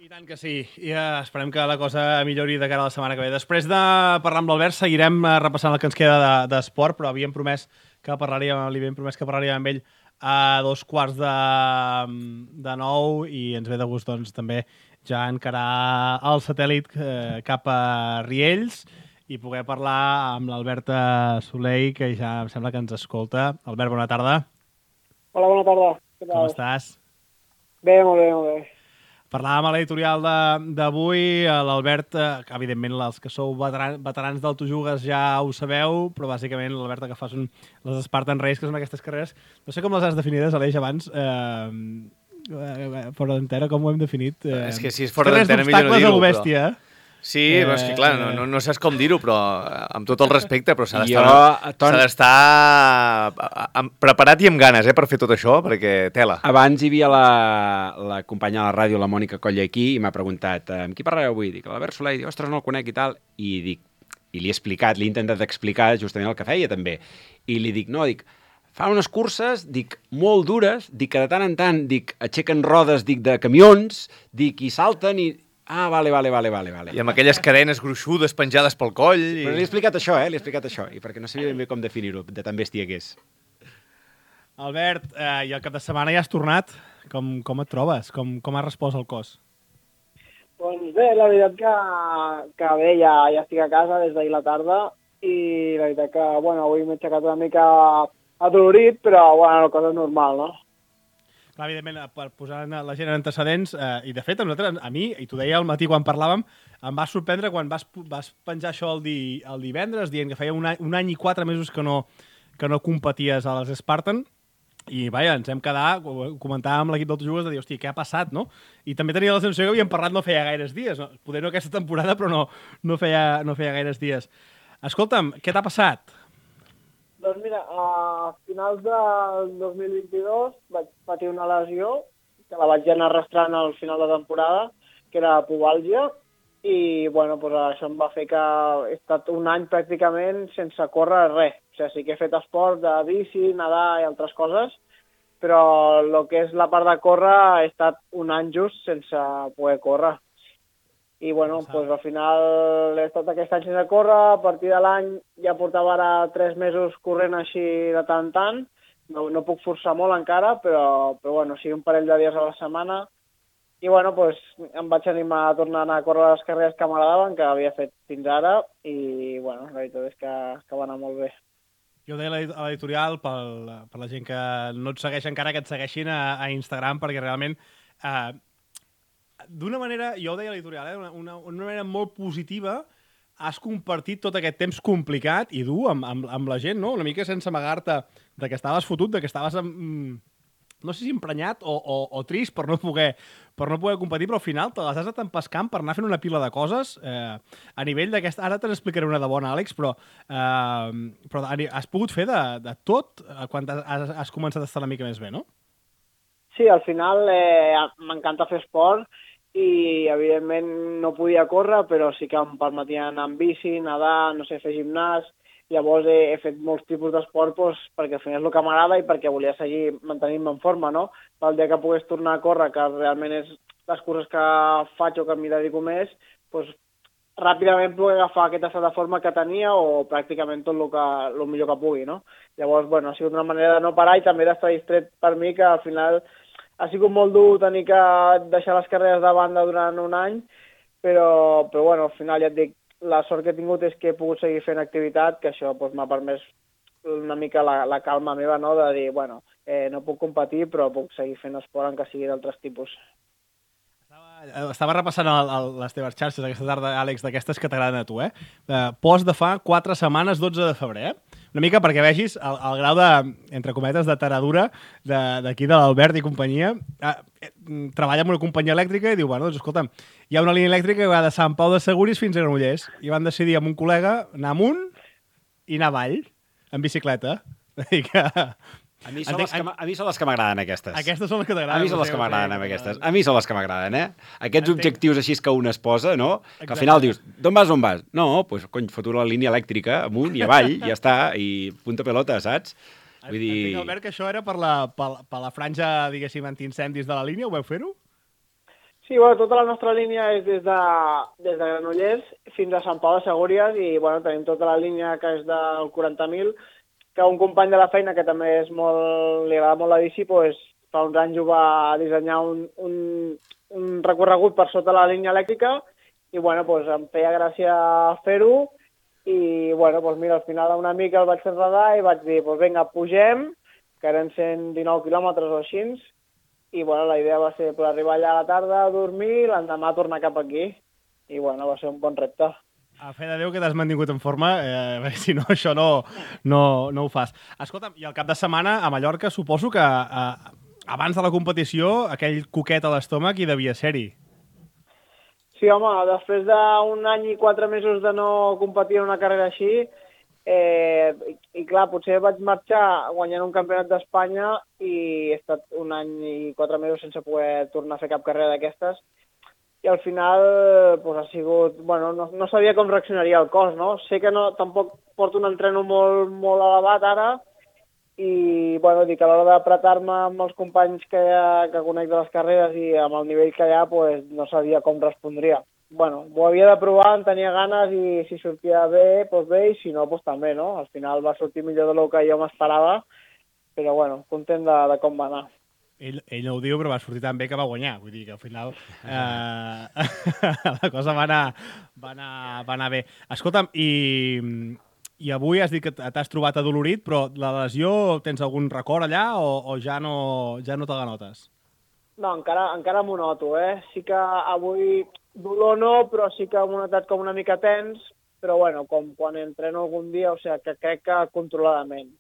I tant que sí. I esperem que la cosa millori de cara a la setmana que ve. Després de parlar amb l'Albert seguirem repassant el que ens queda d'esport, però li havíem promès que parlaríem amb ell a 8:45 i ens ve de gust doncs, també ja encarar el satèl·lit cap a Riells i poder parlar amb l'Albert Soler, que ja em sembla que ens escolta. Albert, bona tarda. Hola, bona tarda. Què tal? Com estàs? Bé, molt bé, molt bé. Parlàvem a l'editorial d'avui, l'Albert, que evidentment els que sou veterans del Tu Jugues ja ho sabeu, però bàsicament l'Albert que fa són les Spartan Race, que són aquestes carreres, no sé com les has definides, Aleix, abans, fora d'antena, com ho hem definit? És que si és fora d'antena millor no dir-ho. Carreres d'obstacles a l'Obèstia, Sí, però és que clar, no saps com dir-ho, però amb tot el respecte, però s'ha d'estar preparat i amb ganes per fer tot això, perquè tela. Abans hi havia la companya de la ràdio, la Mònica Colla, aquí, i m'ha preguntat amb qui parlareu avui? Dic, l'Albert Soler, dic, ostres, no el conec i tal, i li he explicat, li he intentat explicar justament el que feia també, i li dic, fa unes curses, molt dures, que de tant en tant, aixequen rodes, de camions, i salten i... Ah, vale. I amb aquelles cadenes gruixudes penjades pel coll. Però li he explicat això, i perquè no sabia ben bé com definir-ho, de tan bèstia que és. Albert, i el cap de setmana ja has tornat. Com et trobes? Com has respost al cos? Doncs bé, la veritat que bé, ja estic a casa des d'ahir la tarda i la veritat que, avui m'he aixecat una mica adolorit, però, el cos és normal, no? Clar, evidentment, per posar la gent en antecedents, i de fet, a mi, i t'ho deia al matí quan parlàvem, em va sorprendre quan vas penjar això el divendres, dient que feia un any i 4 mesos que no competies a les Spartan, i vaja, ens hem quedat, comentàvem amb l'equip del Tu Jugues, de dir, hòstia, què ha passat, no? I també tenia la sensació que havíem parlat no feia gaires dies, no? Poder no aquesta temporada, però no feia gaires dies. Escolta'm, què t'ha passat? Doncs mira, a finals del 2022 vaig patir una lesió que la vaig anar arrastrant al final de temporada, que era pubalgia, i això em va fer que he estat un any pràcticament sense córrer res. O sigui, sí que he fet esport de bici, nedar i altres coses, però el que és la part de córrer he estat un any just sense poder córrer. I al final he estat aquest any sense córrer, a partir de l'any ja portava ara 3 mesos corrent així de tant en tant, no puc forçar molt encara, però sí, un parell de dies a la setmana, i em vaig animar a tornar a anar a córrer les carreres que m'agradaven, que havia fet fins ara, i la veritat és que va anar molt bé. Jo ho deia a l'editorial, per la gent que no et segueix encara, que et segueixin a Instagram, perquè realment... d'una manera, jo ho deia a l'editorial, una manera molt positiva, has compartit tot aquest temps complicat i dur amb la gent, no? Una mica sense amagar-te de que estaves fotut, de que estaves, no sé si emprenyat o trist per no poder competir, però al final te les has anat empescant per anar fent una pila de coses a nivell d'aquesta... Ara te n'explicaré una de bona, Àlex, però has pogut fer de tot quan has començat a estar una mica més bé, no? Sí, al final m'encanta fer esport i, evidentment, no podia córrer, però sí que em permetia anar amb bici, nedar, no sé, fer gimnàs. Llavors he fet molts tipus d'esport perquè al final és el que m'agrada i perquè volia seguir mantenint-me en forma, no? Pel dia que pogués tornar a córrer, que realment és les curses que faig o que m'hi dedico més, doncs ràpidament poder agafar aquest estat de forma que tenia o pràcticament tot el millor que pugui, no? Llavors, bueno, ha sigut una manera de no parar i també d'estar distret per mi, que al final ha sigut molt dur tenir que deixar les carreres de banda durant un any, però bueno, al final ja et dic, la sort que he tingut és que he pogut seguir fent activitat, que això doncs, m'ha permès una mica la calma meva, no?, de dir, bueno, no puc competir, però puc seguir fent esport en que sigui d'altres tipus. Estava repassant les teves xarxes aquesta tarda, Àlex, d'aquestes que t'agraden a tu, Post de fa 4 setmanes, 12 de febrer, Una mica perquè vegis el grau de, entre cometes, de taradura d'aquí de l'Albert i companyia. Treballa en una companyia elèctrica i diu, bueno, doncs escolta'm, hi ha una línia elèctrica que va de Sant Pau de Segúries fins a Granollers. I van decidir amb un col·lega anar amunt i anar avall, en bicicleta. A mi són les que m'agraden, aquestes. Aquestes són les que t'agraden. A mi són les que m'agraden, aquestes. A mi són les que m'agraden, Aquests objectius així que un es posa, no? Que al final dius, d'on vas, on vas? No, doncs, cony, foto la línia elèctrica amunt i avall, i ja està, i punta pelota, saps? Vull dir... Entenc, Albert, que això era per la franja, diguéssim, antiincendis de la línia, ho veu fer-ho? Sí, bueno, tota la nostra línia és des de Granollers fins a Sant Pau de Segúries i, bueno, tenim tota la línia que és del 40.000, que un company de la feina, que també és li agrada molt la bici, doncs, fa uns anys ho va dissenyar un recorregut per sota la línia elèctrica i, bueno, doncs, em feia gràcia fer-ho i, bueno, doncs, mira, al final un amic el vaig fer radar i vaig dir, doncs, vinga, pugem, que eren 119 quilòmetres o així, i, bueno, la idea va ser per arribar allà a la tarda, dormir, l'endemà tornar cap aquí. I, bueno, va ser un bon repte. A fe de Déu que t'has mantingut en forma, si no, això no ho fas. Escolta'm, i el cap de setmana a Mallorca suposo que abans de la competició aquell coquet a l'estómac hi devia ser-hi. Sí, home, després d'un any i 4 mesos de no competir en una carrera així, i clar, potser vaig marxar guanyant un campionat d'Espanya i he estat un any i 4 mesos sense poder tornar a fer cap carrera d'aquestes. I al final pues, ha sigut... Bueno, no sabia com reaccionaria el cos, no? Sé que tampoc porto un entreno molt, molt elevat ara i, bueno, dic, a l'hora d'apretar-me amb els companys que conec de les carreres i amb el nivell que hi ha, pues, no sabia com respondria. Bueno, ho havia de provar, en tenia ganes i si sortia bé, doncs bé, i si no, doncs també, no? Al final va sortir millor del que jo m'esperava, però, bueno, content de com va anar. Ell no ho diu, però va sortir tan bé que va guanyar. Vull dir que al final la cosa va anar bé. Escolta'm, i avui has dit que t'has trobat adolorit, però la lesió, tens algun record allà o ja no te la notes? No, encara m'ho noto, Sí que avui dolor no, però sí que m'ho notat com una mica tens, però bueno, com quan entreno algun dia, o sigui, que crec que controladament.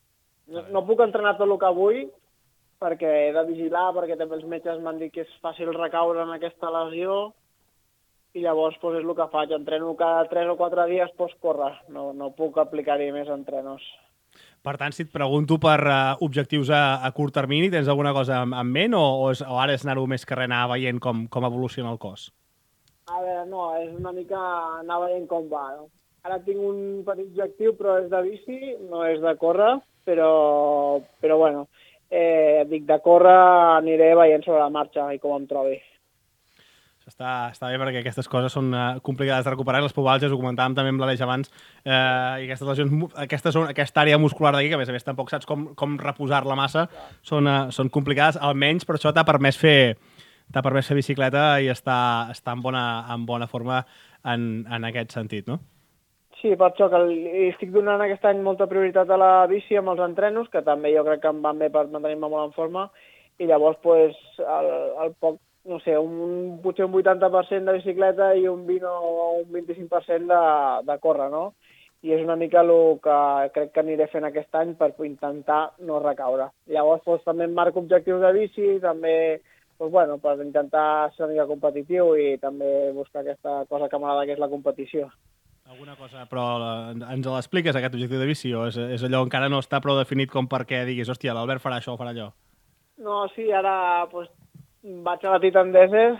No puc entrenar tot el que vull, perquè he de vigilar, perquè també els metges m'han dit que és fàcil recaure en aquesta lesió i llavors doncs, és el que faig. Entreno cada 3 o 4 dies, doncs córrer. No puc aplicar-hi més entrenos. Per tant, si et pregunto per objectius a curt termini, tens alguna cosa en ment o ara és anar-ho més carrer anar veient com evoluciona el cos? A veure, no, és una mica anar veient com va. No? Ara tinc un petit objectiu, però és de bici, no és de córrer, però bueno... dic, de córrer aniré veient sobre la marxa i com em trobi. Està bé perquè aquestes coses són complicades de recuperar, les pubalgies, ho comentàvem també amb l'Aleix abans, i aquestes lesions, aquesta àrea muscular d'aquí, que a més tampoc saps com reposar-la massa, són complicades, almenys per això t'ha permès fer bicicleta i estar en bona forma en aquest sentit, no? Sí, per això que estic donant aquest any molta prioritat a la bici amb els entrenos, que també jo crec que em van bé per mantenir-me molt en forma, i llavors, pues, el poc, no sé, potser un 80% de bicicleta i un 20 o un 25% de córrer, no? I és una mica el que crec que aniré fent aquest any per intentar no recaure. Llavors, doncs, també em marco objectius de bici, també doncs, bueno, per intentar ser una mica competitiu i també buscar aquesta cosa que m'agrada, que és la competició. Alguna cosa, però ens l'expliques, aquest objectiu de bici, o és allò encara no està prou definit com perquè diguis, hòstia, l'Albert farà això o farà allò? No, sí, ara doncs, vaig a la Titan Desert.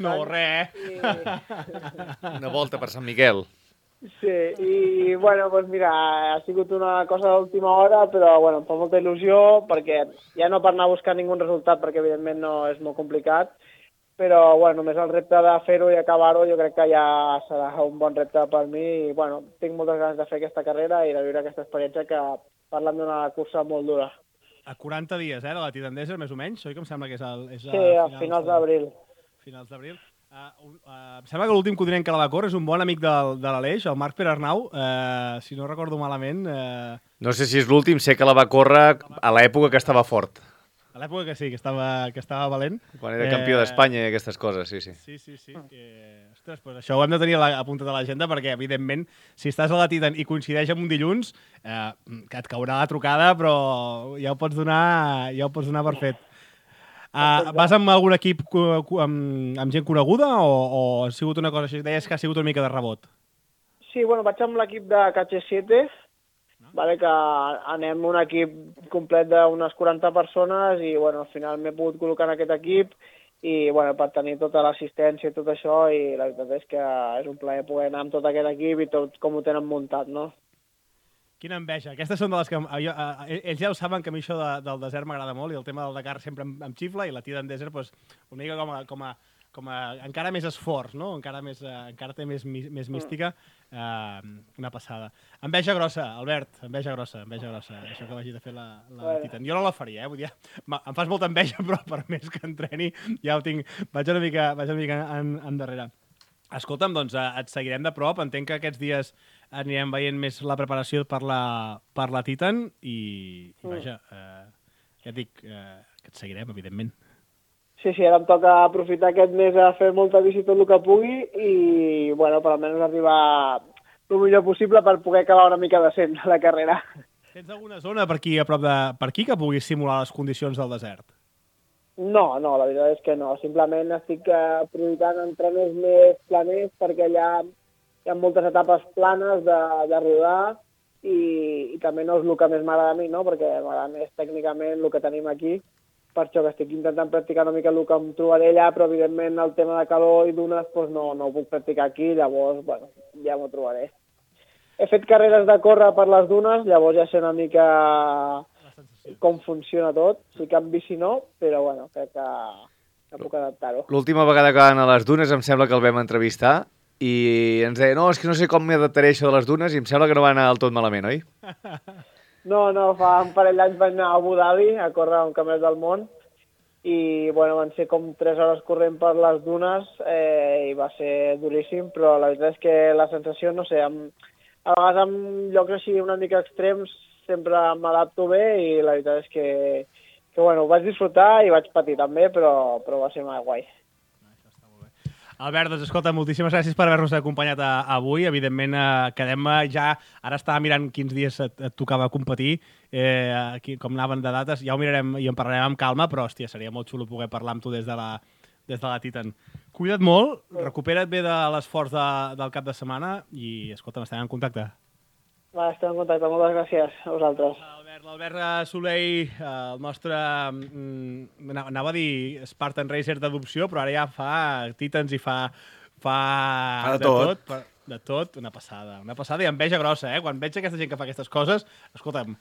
No, res. Una volta per Sant Miquel. Sí, i bueno, doncs mira, ha sigut una cosa d'última hora, però bueno, em fa molta il·lusió, perquè ja no per anar a buscar ningú resultat, perquè evidentment no és molt complicat, però bueno, només el repte de fer-ho i acabar-ho jo crec que ja serà un bon repte per mi i bueno, tinc moltes ganes de fer aquesta carrera i de viure aquesta experiència que parlant d'una cursa molt dura. A 40 dies, de la Titan Desert, més o menys, oi que em sembla que és sí, a finals d'abril. Finals d'abril. Em sembla que l'últim codinenc que la va córrer és un bon amic de l'Aleix, el Marc Perarnau, si no recordo malament. No sé si és l'últim, sé que la va córrer a l'època que estava fort. A l'època que sí, que estava valent. Quan era campió d'Espanya i aquestes coses, sí. Sí. Ostres, doncs això ho hem de tenir apuntat a l'agenda perquè, evidentment, si estàs a la Titan i coincideix amb un dilluns, que et caurà la trucada, però ja ho pots donar per fet. Vas amb algun equip amb gent coneguda o ha sigut una cosa així? Deies que ha sigut una mica de rebot. Sí, bueno, vaig amb l'equip de KH7, vale, que anem un equip complet d'unes 40 persones i bueno, al final m'he pogut col·locar en aquest equip i bueno, per tenir tota l'assistència i tot això i la veritat és que és un plaer poder anar amb tot aquest equip i tot com ho tenen muntat, no? Quina enveja. Aquestes són de les que... ells ja ho saben que a mi això del desert m'agrada molt i el tema del Dakar sempre em xifla i la Titan Desert doncs, una mica com a encara més esforç, no? Encara té més mística, una passada. Enveja grossa, Albert, enveja grossa, això que vagi de fer la Titan. Jo no la faria, vull dir, em fas molta enveja, però per més que entreni ja ho tinc, vaig una mica endarrere. Escolta'm, doncs et seguirem de prop, entenc que aquests dies anirem veient més la preparació per la Titan i vaja, ja et dic que et seguirem, evidentment. Sí, ara em toca aprofitar aquest mes a fer molta bici tot el que pugui i, bueno, per almenys arribar el millor possible per poder acabar una mica decent la carrera. Tens alguna zona per aquí, a prop de... per aquí que puguis simular les condicions del desert? No, la veritat és que no. Simplement estic prioritzant entrenos més planers perquè allà hi ha moltes etapes planes de rodar i també no és el que més m'agrada a mi, no? Perquè m'agrada més tècnicament el que tenim aquí. Per això que estic intentant practicar una mica el que em trobaré allà, però evidentment el tema de calor i dunes doncs no ho puc practicar aquí, llavors bueno, ja m'ho trobaré. He fet carreres de córrer per les dunes, llavors ja sé una mica com funciona tot. Sí que en bici no, però bueno, crec que puc adaptar-ho. L'última vegada que van a les dunes em sembla que el vam entrevistar i ens deia, no, és que no sé com m'adaptaré això de les dunes i em sembla que no va anar del tot malament, oi? No, fa un parell d'anys vaig anar a Abu Dhabi a córrer un campionat del món i bueno, van ser com 3 hores corrent per les dunes i va ser duríssim, però la veritat és que la sensació, no sé, a vegades en llocs així una mica extrems sempre m'adapto bé i la veritat és que bueno, ho vaig disfrutar i vaig patir també, però va ser molt guai. Albert, doncs escolta, moltíssimes gràcies per haver-nos acompanyat avui. Evidentment, quedem ja... Ara estava mirant quins dies et tocava competir, com anaven de dates. Ja ho mirarem i en parlarem amb calma, però, hòstia, seria molt xulo poder parlar amb tu des de la Titan. Cuida't molt, recupera't bé de l'esforç del cap de setmana i, escolta, estem en contacte. Va, estem en contacte. Moltes gràcies a vosaltres. L'Albert Soleil, el nostre, anava a dir Spartan Racer d'adopció, però ara ja fa Titans i fa de tot. De tot, una passada i enveja grossa, Quan veig aquesta gent que fa aquestes coses, escolta'm,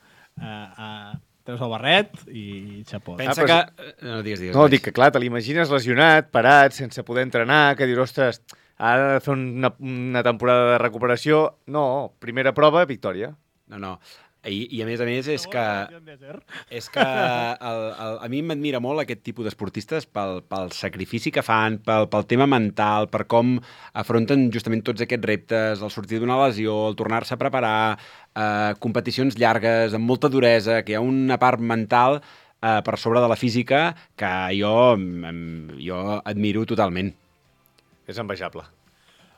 treus el barret i xapó. Pensa que... No, digues. No, dic que clar, te l'imagines lesionat, parat, sense poder entrenar, que dius, ostres, ara de fer una temporada de recuperació. No, primera prova, victòria. No. I a més és que a mi m'admira molt aquest tipus d'esportistes pel sacrifici que fan, pel tema mental, per com afronten justament tots aquests reptes, el sortir d'una lesió, el tornar-se a preparar, competicions llargues, amb molta duresa, que hi ha una part mental per sobre de la física, que jo admiro totalment. És envejable.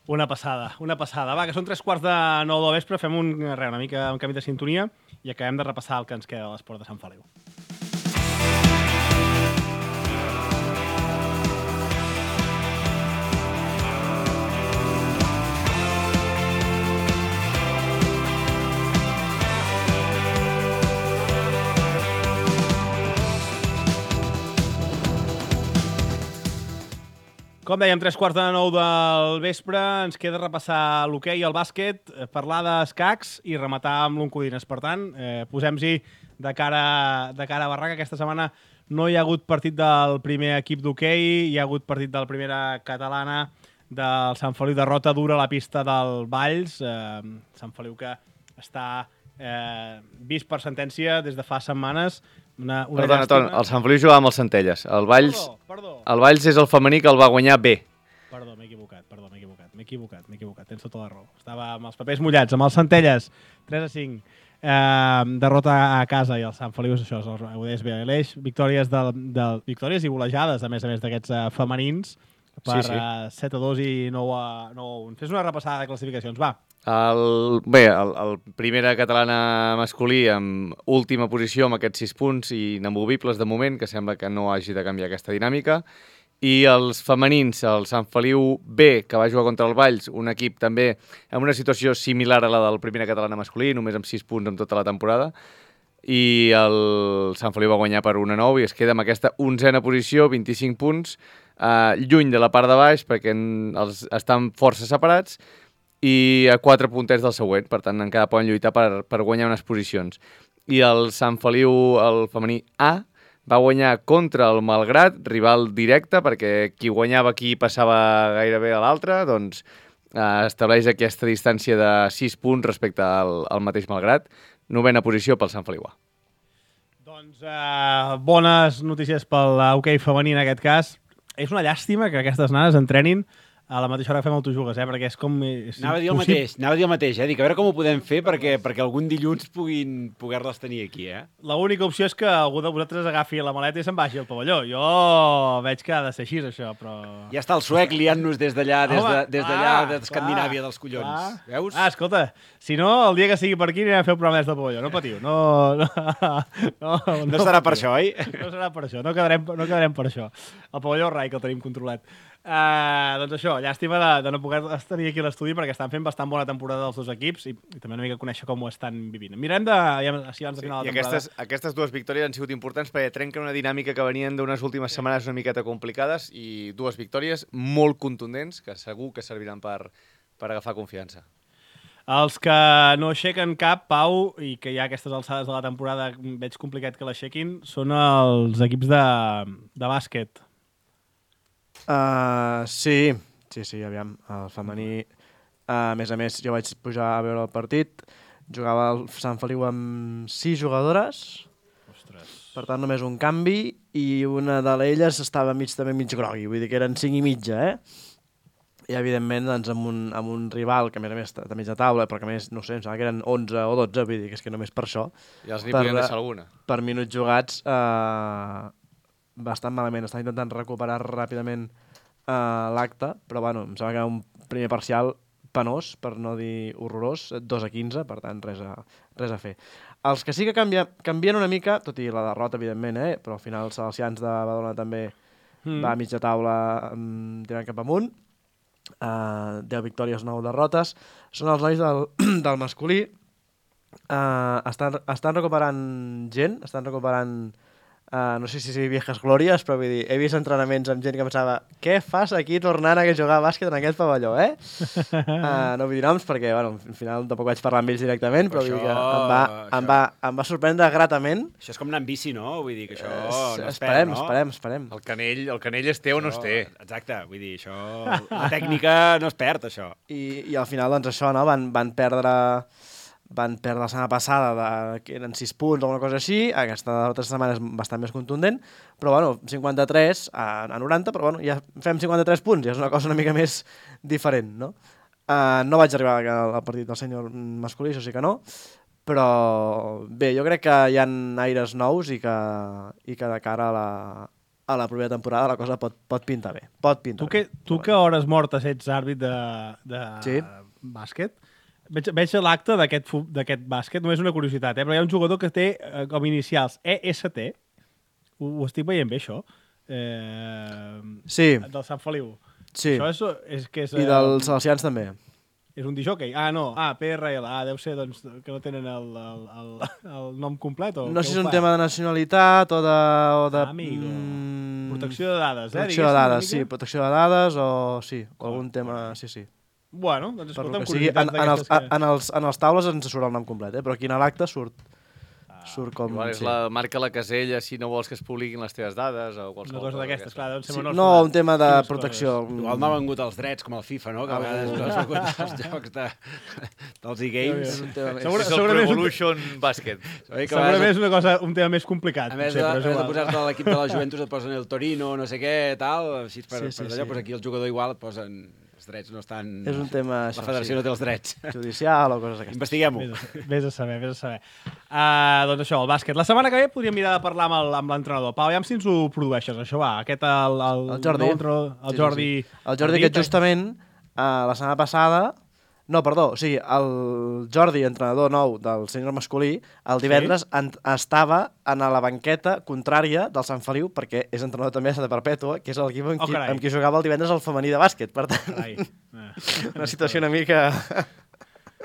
Una passada, una passada. Va, que són 3:15 del vespre, fem una mica un canvi de sintonia i acabem de repassar el que ens queda de l'esport de Sant Feliu. Com dèiem, 3:15 del vespre, ens queda repassar l'hoquei i el bàsquet, parlar d'escacs i rematar amb l'Oncodines. Per tant, posem-hi de cara a barraca. Aquesta setmana no hi ha hagut partit del primer equip d'hoquei, hi ha hagut partit de la primera catalana del Sant Feliu, derrota dura a la pista del Valls. Sant Feliu que està vist per sentència des de fa setmanes. Perdona, Ton, el Sant Feliu jugava amb els Centelles. El Valls, Perdó. El Valls és el femení que el va guanyar bé. Perdó, m'he equivocat. Tens tota la raó. Estava amb els papers mullats, amb els Centelles. 3-5. Derrota a casa i el Sant Feliu és això, ho deies bé, l'eix. Victòries i golejades, a més d'aquests femenins, per 7-2 i 9-1. Fes una repassada de classificacions, va. El primera catalana masculí amb última posició amb aquests 6 punts i inamovibles de moment, que sembla que no hagi de canviar aquesta dinàmica. I els femenins, el Sant Feliu B, que va jugar contra el Valls, un equip també amb una situació similar a la del primera catalana masculí, només amb 6 punts en tota la temporada. I el Sant Feliu va guanyar per 1-9 i es queda amb aquesta 11a posició, 25 punts, lluny de la part de baix perquè estan força separats, i a 4 punters del següent, per tant encara poden lluitar per guanyar unes posicions. I el Sant Feliu, el femení A, va guanyar contra el Malgrat, rival directe, perquè qui guanyava aquí passava gairebé a l'altre, doncs estableix aquesta distància de 6 punts respecte al mateix Malgrat. 9a posició pel Sant Feliu A. Doncs bones notícies pel hoquei femení en aquest cas. És una llàstima que aquestes nanes entrenin a la mateixa hora que fem autojugues, perquè és com... Anava a dir el mateix, dic, a veure com ho podem fer perquè algun dilluns puguin poder-les tenir aquí, L'única opció és que algú de vosaltres agafi la maleta i se'n vagi al pavelló. Jo veig que ha de ser així, això, però... Ja està el suec liant-nos des d'allà, d'Escandinàvia dels collons. Veus? Escolta, si no, el dia que sigui per aquí anirem a fer el programa des del pavelló, no patiu. No serà per això, oi? No serà per això, no quedarem per això. El pavelló Rai, que el tenim controlat. Doncs això, llàstima de no poder tenir aquí a l'estudi perquè estan fent bastant bona temporada dels dos equips i també una mica conèixer com ho estan vivint. Mirem si abans de final de la temporada. I aquestes dues victòries han sigut importants perquè trenquen una dinàmica que venien d'unes últimes setmanes una miqueta complicades i dues victòries molt contundents que segur que serviran per agafar confiança. Els que no aixequen cap, Pau, i que ja a aquestes alçades de la temporada veig complicat que l'aixequin, són els equips de bàsquet. Sí, aviam, el femení, a més, jo vaig pujar a veure el partit, jugava el Sant Feliu amb 6 jugadores, Ostres. Per tant només un canvi, i una d'elles estava també mig grogui, vull dir que eren 5 i mitja, I evidentment doncs, amb un rival que a més de mitja taula, però que a més, no sé, em sembla que eren 11 o 12, vull dir que és que només per això. Ja els n'hi podien deixar alguna. Per minuts jugats, bastant malament, està intentant recuperar ràpidament l'acte, però bueno, em sembla que era un primer parcial penós, per no dir horrorós, 2-15, per tant res a fer. Els que sí que canvien una mica, tot i la derrota evidentment, però al final els Salesians de Badalona també va a mitja taula tirant cap amunt, 10 victòries, 9 derrotes, són els nois del masculí, estan recuperant gent, estan recuperant no sé si viejas glòries, però vull dir, he vist entrenaments amb gent que pensava què fas aquí tornant a jugar a bàsquet en aquest pavelló, No vull dir noms perquè, bueno, al final tampoc vaig parlar amb ells directament, però vull dir que em va sorprendre gratament. Això és com anar amb bici, no? Vull dir que això no es perd, no? Esperem. El canell es té o no es té. Exacte, vull dir, això... La tècnica no es perd, això. I al final, doncs això, no? Van perdre la setmana passada, que eren 6 punts o alguna cosa així, aquesta altra setmana és bastant més contundent, però bueno, 53 a 90, però bueno, ja fem 53 punts, ja és una cosa una mica més diferent, no? No vaig arribar al partit del sènior masculí, això sí que no, Però bé, jo crec que hi ha aires nous i que de cara a la propera temporada la cosa pot pintar bé. Tu que a hores mortes ets àrbit de bàsquet, veig l'acte d'aquest bàsquet, només una curiositat, però hi ha un jugador que té com inicials EST, ho estic veient bé, això? Sí. Del Sant Feliu. Sí. Això és que és... I dels salesians també. És un disjockey? No. PRL. Deu ser doncs, que no tenen el nom complet? O no sé si és un tema de nacionalitat o de... Amigo. Protecció de dades, Protecció de dades, sí. Protecció de dades o sí, algun tema... Sí. Bueno, doncs escolta'm, curiositat d'aquestes en els taules ens surt el nom complet, però aquí a l'acte surt com... Igual és marca la casella si no vols que es publiquin les teves dades o qualsevol cosa d'aquestes, clar. No, un tema de protecció. Igual no ha vengut els drets, com el FIFA, no? Que a vegades no ha vengut els jocs dels e-games. És el Pro Evolution Bàsquet. Segurament és un tema més complicat. A més de posar-te a l'equip de la Juventus et posen el Torino, no sé què, tal, així per allò, aquí el jugador igual et posen... Els drets no estan... És un tema... La federació no té els drets. Judicial o coses d'aquestes. Investiguem-ho. Vés a saber. Doncs això, el bàsquet. La setmana que ve podríem mirar de parlar amb l'entrenador. Pau, aviam si ens ho produeixes, això va. Aquest, el Jordi. El Jordi. El Jordi que justament la setmana passada... No, perdó, o sigui, el Jordi, entrenador nou del sènior masculí, el divendres estava en la banqueta contrària del Sant Feliu, perquè és entrenador també de Perpètua, que és l'equip amb qui jugava el divendres el femení de bàsquet. Per tant, una situació una mica...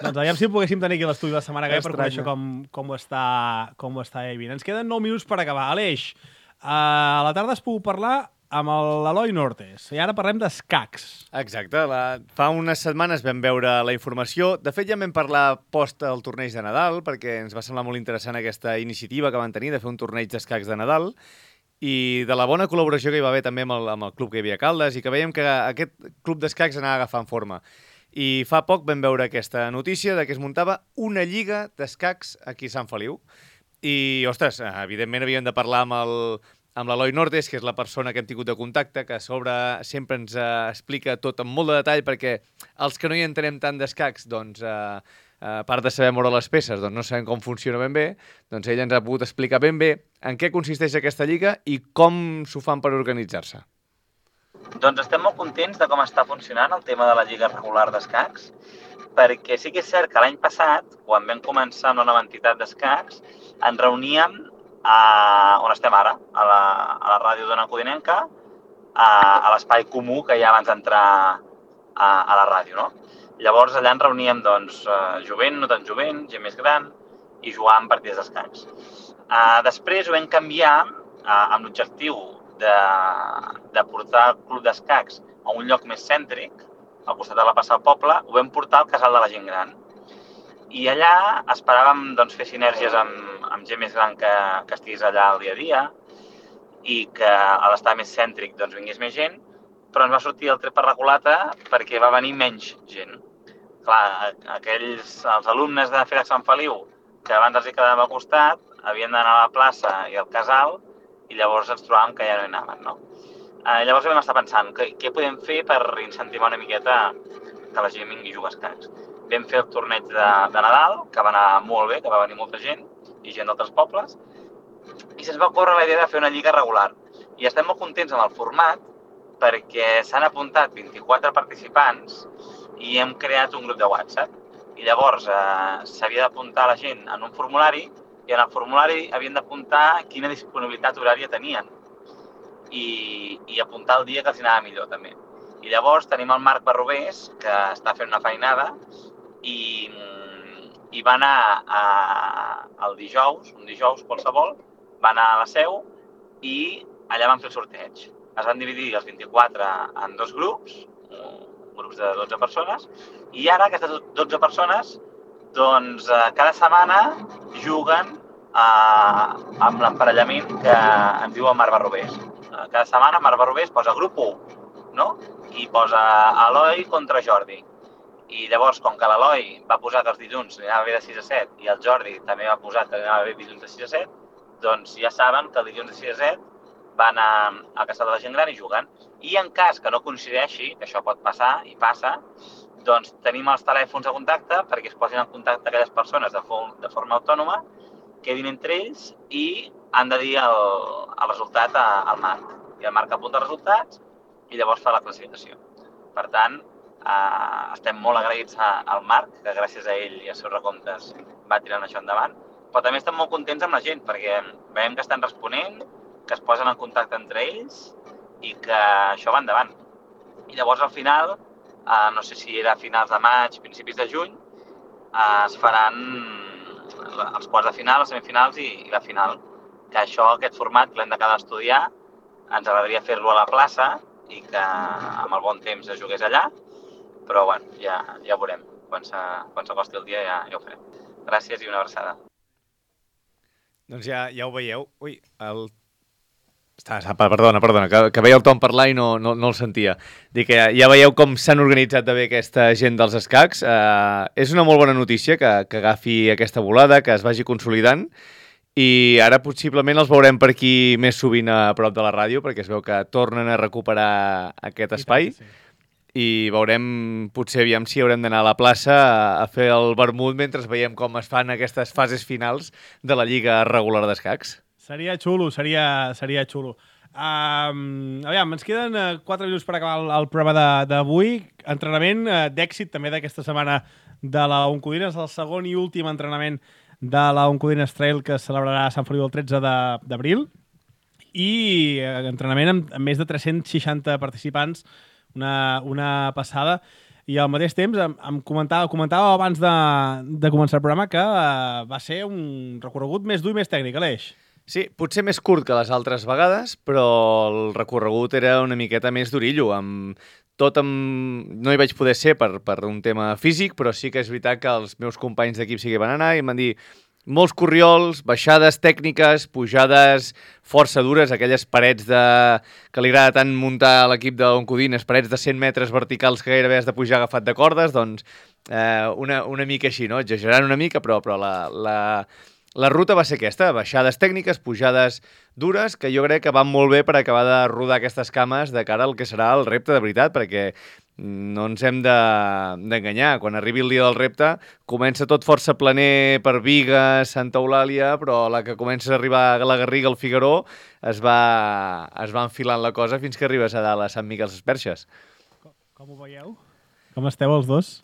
Doncs aviam si poguéssim tenir aquí l'estudi la setmana que ve per conèixer com ho està vivint. Ens queden 9 minuts per acabar. Aleix, a la tarda has pogut parlar amb l'Eloi Nortes. I ara parlem d'escacs. Exacte. Fa unes setmanes vam veure la informació. De fet, ja vam parlar post al torneig de Nadal, perquè ens va semblar molt interessant aquesta iniciativa que van tenir de fer un torneig d'escacs de Nadal i de la bona col·laboració que hi va haver també amb el club que hi havia a Caldes i que veiem que aquest club d'escacs anava agafant forma. I fa poc vam veure aquesta notícia de que es muntava una lliga d'escacs aquí a Sant Feliu. I, ostres, evidentment havíem de parlar amb l'Eloi Nortes, que és la persona que hem tingut de contacte, que a sobre sempre ens explica tot amb molt de detall, perquè els que no hi entenem tant d'escacs, doncs, a part de saber moure les peces, doncs no sabem com funciona ben bé, doncs ell ens ha pogut explicar ben bé en què consisteix aquesta lliga i com s'ho fan per organitzar-se. Doncs estem molt contents de com està funcionant el tema de la lliga regular d'escacs, perquè sí que és cert que l'any passat, quan vam començar amb la nova entitat d'escacs, ens reuníem on estem ara, a la ràdio d'Ona Codinenca, a l'espai comú que hi ha abans d'entrar a la ràdio, no? Llavors allà ens reuníem, doncs, jovent, no tan jovent, gent més gran, i jugàvem partides d'escacs. Després ho vam canviar amb l'objectiu de portar el club d'escacs a un lloc més cèntric, al costat de la plaça del poble, ho vam portar al casal de la gent gran. I allà esperàvem fer sinergies amb gent més gran que estigués allà el dia a dia i que a l'estar més cèntric vingués més gent, però ens va sortir el tret per la culata perquè va venir menys gent. Clar, els alumnes de FEDEC Sant Feliu, que abans els hi quedàvem al costat, havien d'anar a la plaça i al casal i llavors ens trobàvem que ja no hi anaven, no? Llavors vam estar pensant, què podem fer per incentivar una miqueta que la gent vingui a jugar a escacs? Vam fer el torneig de Nadal, que va anar molt bé, que va venir molta gent i gent d'altres pobles, i se'ns va ocórrer la idea de fer una lliga regular. I estem molt contents amb el format perquè s'han apuntat 24 participants i hem creat un grup de WhatsApp. I llavors s'havia d'apuntar la gent en un formulari i en el formulari havien d'apuntar quina disponibilitat horària tenien i apuntar el dia que els anava millor també. I llavors tenim el Marc Barrobés, que està fent una feinada, i va anar el dijous, un dijous qualsevol, va anar a la seu i allà van fer el sorteig. Es van dividir els 24 en dos grups, grups de 12 persones, i ara aquestes 12 persones, doncs, cada setmana juguen amb l'emparellament que ens diu el Marc Barrobés. Cada setmana Marc Barrobés posa grup 1, no? I posa Eloi contra Jordi. I llavors, com que l'Eloi va posar que els dilluns anava bé de 6 a 7 i el Jordi també va posar que anava bé dilluns de 6 a 7, doncs ja saben que el dilluns de 6 a 7 van al casal de la gent gran i juguen. I en cas que no coincideixi, que això pot passar i passa, doncs tenim els telèfons de contacte perquè es posin en contacte aquelles persones de forma autònoma, quedin entre ells i han de dir el resultat al Marc. I el Marc apunta els resultats i llavors fa la classificació. Per tant, estem molt agraïts al Marc, que gràcies a ell i als seus recomptes va tirant això endavant, però també estem molt contents amb la gent, perquè veiem que estan responent, que es posen en contacte entre ells i que això va endavant. I llavors al final, no sé si era a finals de maig, principis de juny, es faran els quarts de final, les semifinals i la final. Que aquest format que l'hem d'acabar d'estudiar, ens agradaria fer-lo a la plaça i que amb el bon temps es jugués allà, però bueno, ja ho veurem. Quan s'acosti el dia ja ho farem. Gràcies i una abraçada. Doncs ja ho veieu. Ui, Perdona, que veia el Tom parlar i no el sentia. Dic que ja veieu com s'han organitzat de bé aquesta gent dels escacs. És una molt bona notícia que agafi aquesta volada, que es vagi consolidant, i ara possiblement els veurem per aquí més sovint a prop de la ràdio, perquè es veu que tornen a recuperar aquest espai. I veurem, potser, aviam si haurem d'anar a la plaça a fer el vermut mentre veiem com es fan aquestes fases finals de la Lliga Regular d'Escacs. Seria xulo, seria xulo. Aviam, ens queden 4 minuts per acabar el programa d'avui. Entrenament d'èxit també d'aquesta setmana de la Oncodines, el segon i últim entrenament de la Oncodines Trail que es celebrarà a Sant Feliu el 13 d'abril. I entrenament amb més de 360 participants, una passada. I al mateix temps em comentava abans de començar el programa que va ser un recorregut més dur i més tècnic, Aleix. Sí, potser més curt que les altres vegades, però el recorregut era una miqueta més d'orillo. No hi vaig poder ser per un tema físic, però sí que és veritat que els meus companys d'equip sí que van anar i em van dir molts corriols, baixades tècniques, pujades força dures, aquelles parets que li agrada tant muntar a l'equip d'Oncodines, parets de 100 metres verticals que gairebé has de pujar agafat de cordes, doncs una mica així, no? Exagerant una mica, però la ruta va ser aquesta, baixades tècniques, pujades dures, que jo crec que van molt bé per acabar de rodar aquestes cames de cara al que serà el repte de veritat, perquè no ens hem d'enganyar. Quan arribi el dia del repte, comença tot força planer per Bigues, Santa Eulàlia, però la que comença a arribar a la Garriga, al Figaró, es va enfilant la cosa fins que arribes a dalt a Sant Miquel Sesperxes. Com ho veieu? Com esteu els dos?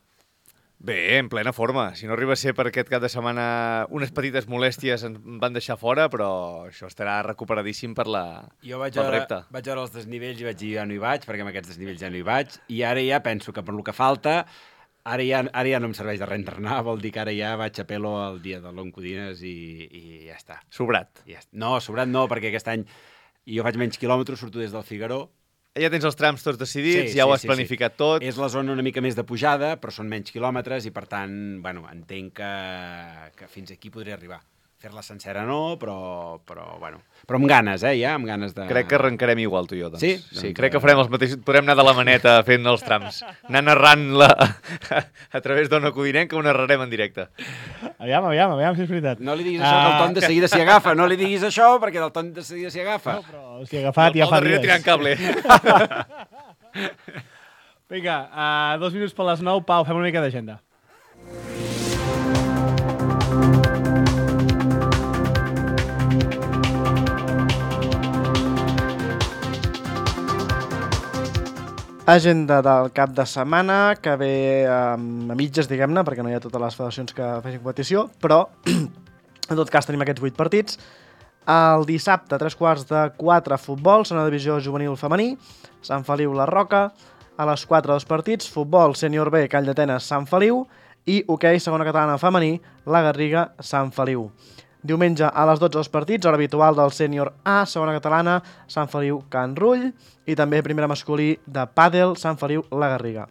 Bé, en plena forma. Si no arriba a ser per aquest cap de setmana unes petites molèsties ens van deixar fora, però això estarà recuperadíssim pel repte. Jo vaig veure els desnivells i vaig dir ja no hi vaig, perquè amb aquests desnivells ja no hi vaig, i ara ja penso que per lo que falta, ara ja no em serveix de res entrenar, vol dir que ara ja vaig a pelo el dia de l'Oncodines i ja està. Sobrat. No, sobrat no, perquè aquest any jo faig menys quilòmetres, surto des del Figaró. Ja tens els trams tots decidits, ja ho has planificat tot. És la zona una mica més de pujada, però són menys quilòmetres i, per tant, bueno, entenc que fins aquí podria arribar. Fer-la sencera no, però amb ganes, ja, amb ganes de... Crec que arrencarem igual, tu i jo, doncs. Sí? Sí, crec que farem els mateixos... Podrem anar de la maneta fent els trams. Anar narrant-la a través d'Ona Codinenca, ho narrarem en directe. Aviam, si és veritat. No li diguis això, que el Ton de seguida s'hi agafa. No li diguis això, perquè el Ton de seguida s'hi agafa. No, però s'hi ha agafat ja fa dies. Tirant cable. Vinga, 2 minuts per les 9. Pau, fem una mica d'agenda. Agenda del cap de setmana, que ve a mitges, diguem-ne, perquè no hi ha totes les federacions que facin competició, però en tot cas tenim aquests 8 partits. El dissabte, a 3:45, futbol, segona divisió juvenil femení, Sant Feliu, La Roca. A les 4, 2 partits, futbol, sènior B, Call d'Atenes, Sant Feliu, i hoquei, segona catalana femení, La Garriga, Sant Feliu. Diumenge a les 12 dels partits, hora habitual del sènior A, segona catalana, Sant Feliu, Can Rull, i també primera masculí de pàdel, Sant Feliu, La Garriga.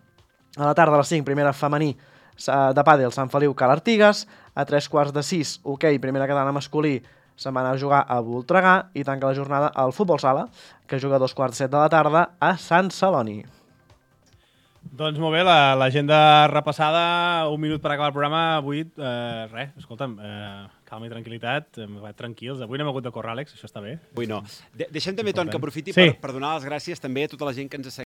A la tarda a les 5, primera femení de pàdel, Sant Feliu, Cal Artigas. A 3:45, hoquei, primera catalana masculí, se'n va anar a jugar a Voltregà, i tanca la jornada al futbol sala, que juga a 2:15 de la tarda a Sant Celoni. Doncs molt bé, l'agenda repassada, 1 minut per acabar el programa. Avui, escolta'm, calma i tranquil·litat, tranquils. Avui no hem hagut de córrer, Àlex, això està bé. Avui no. Deixem també, Ton, que aprofiti per donar les gràcies també a tota la gent que ens ha seguit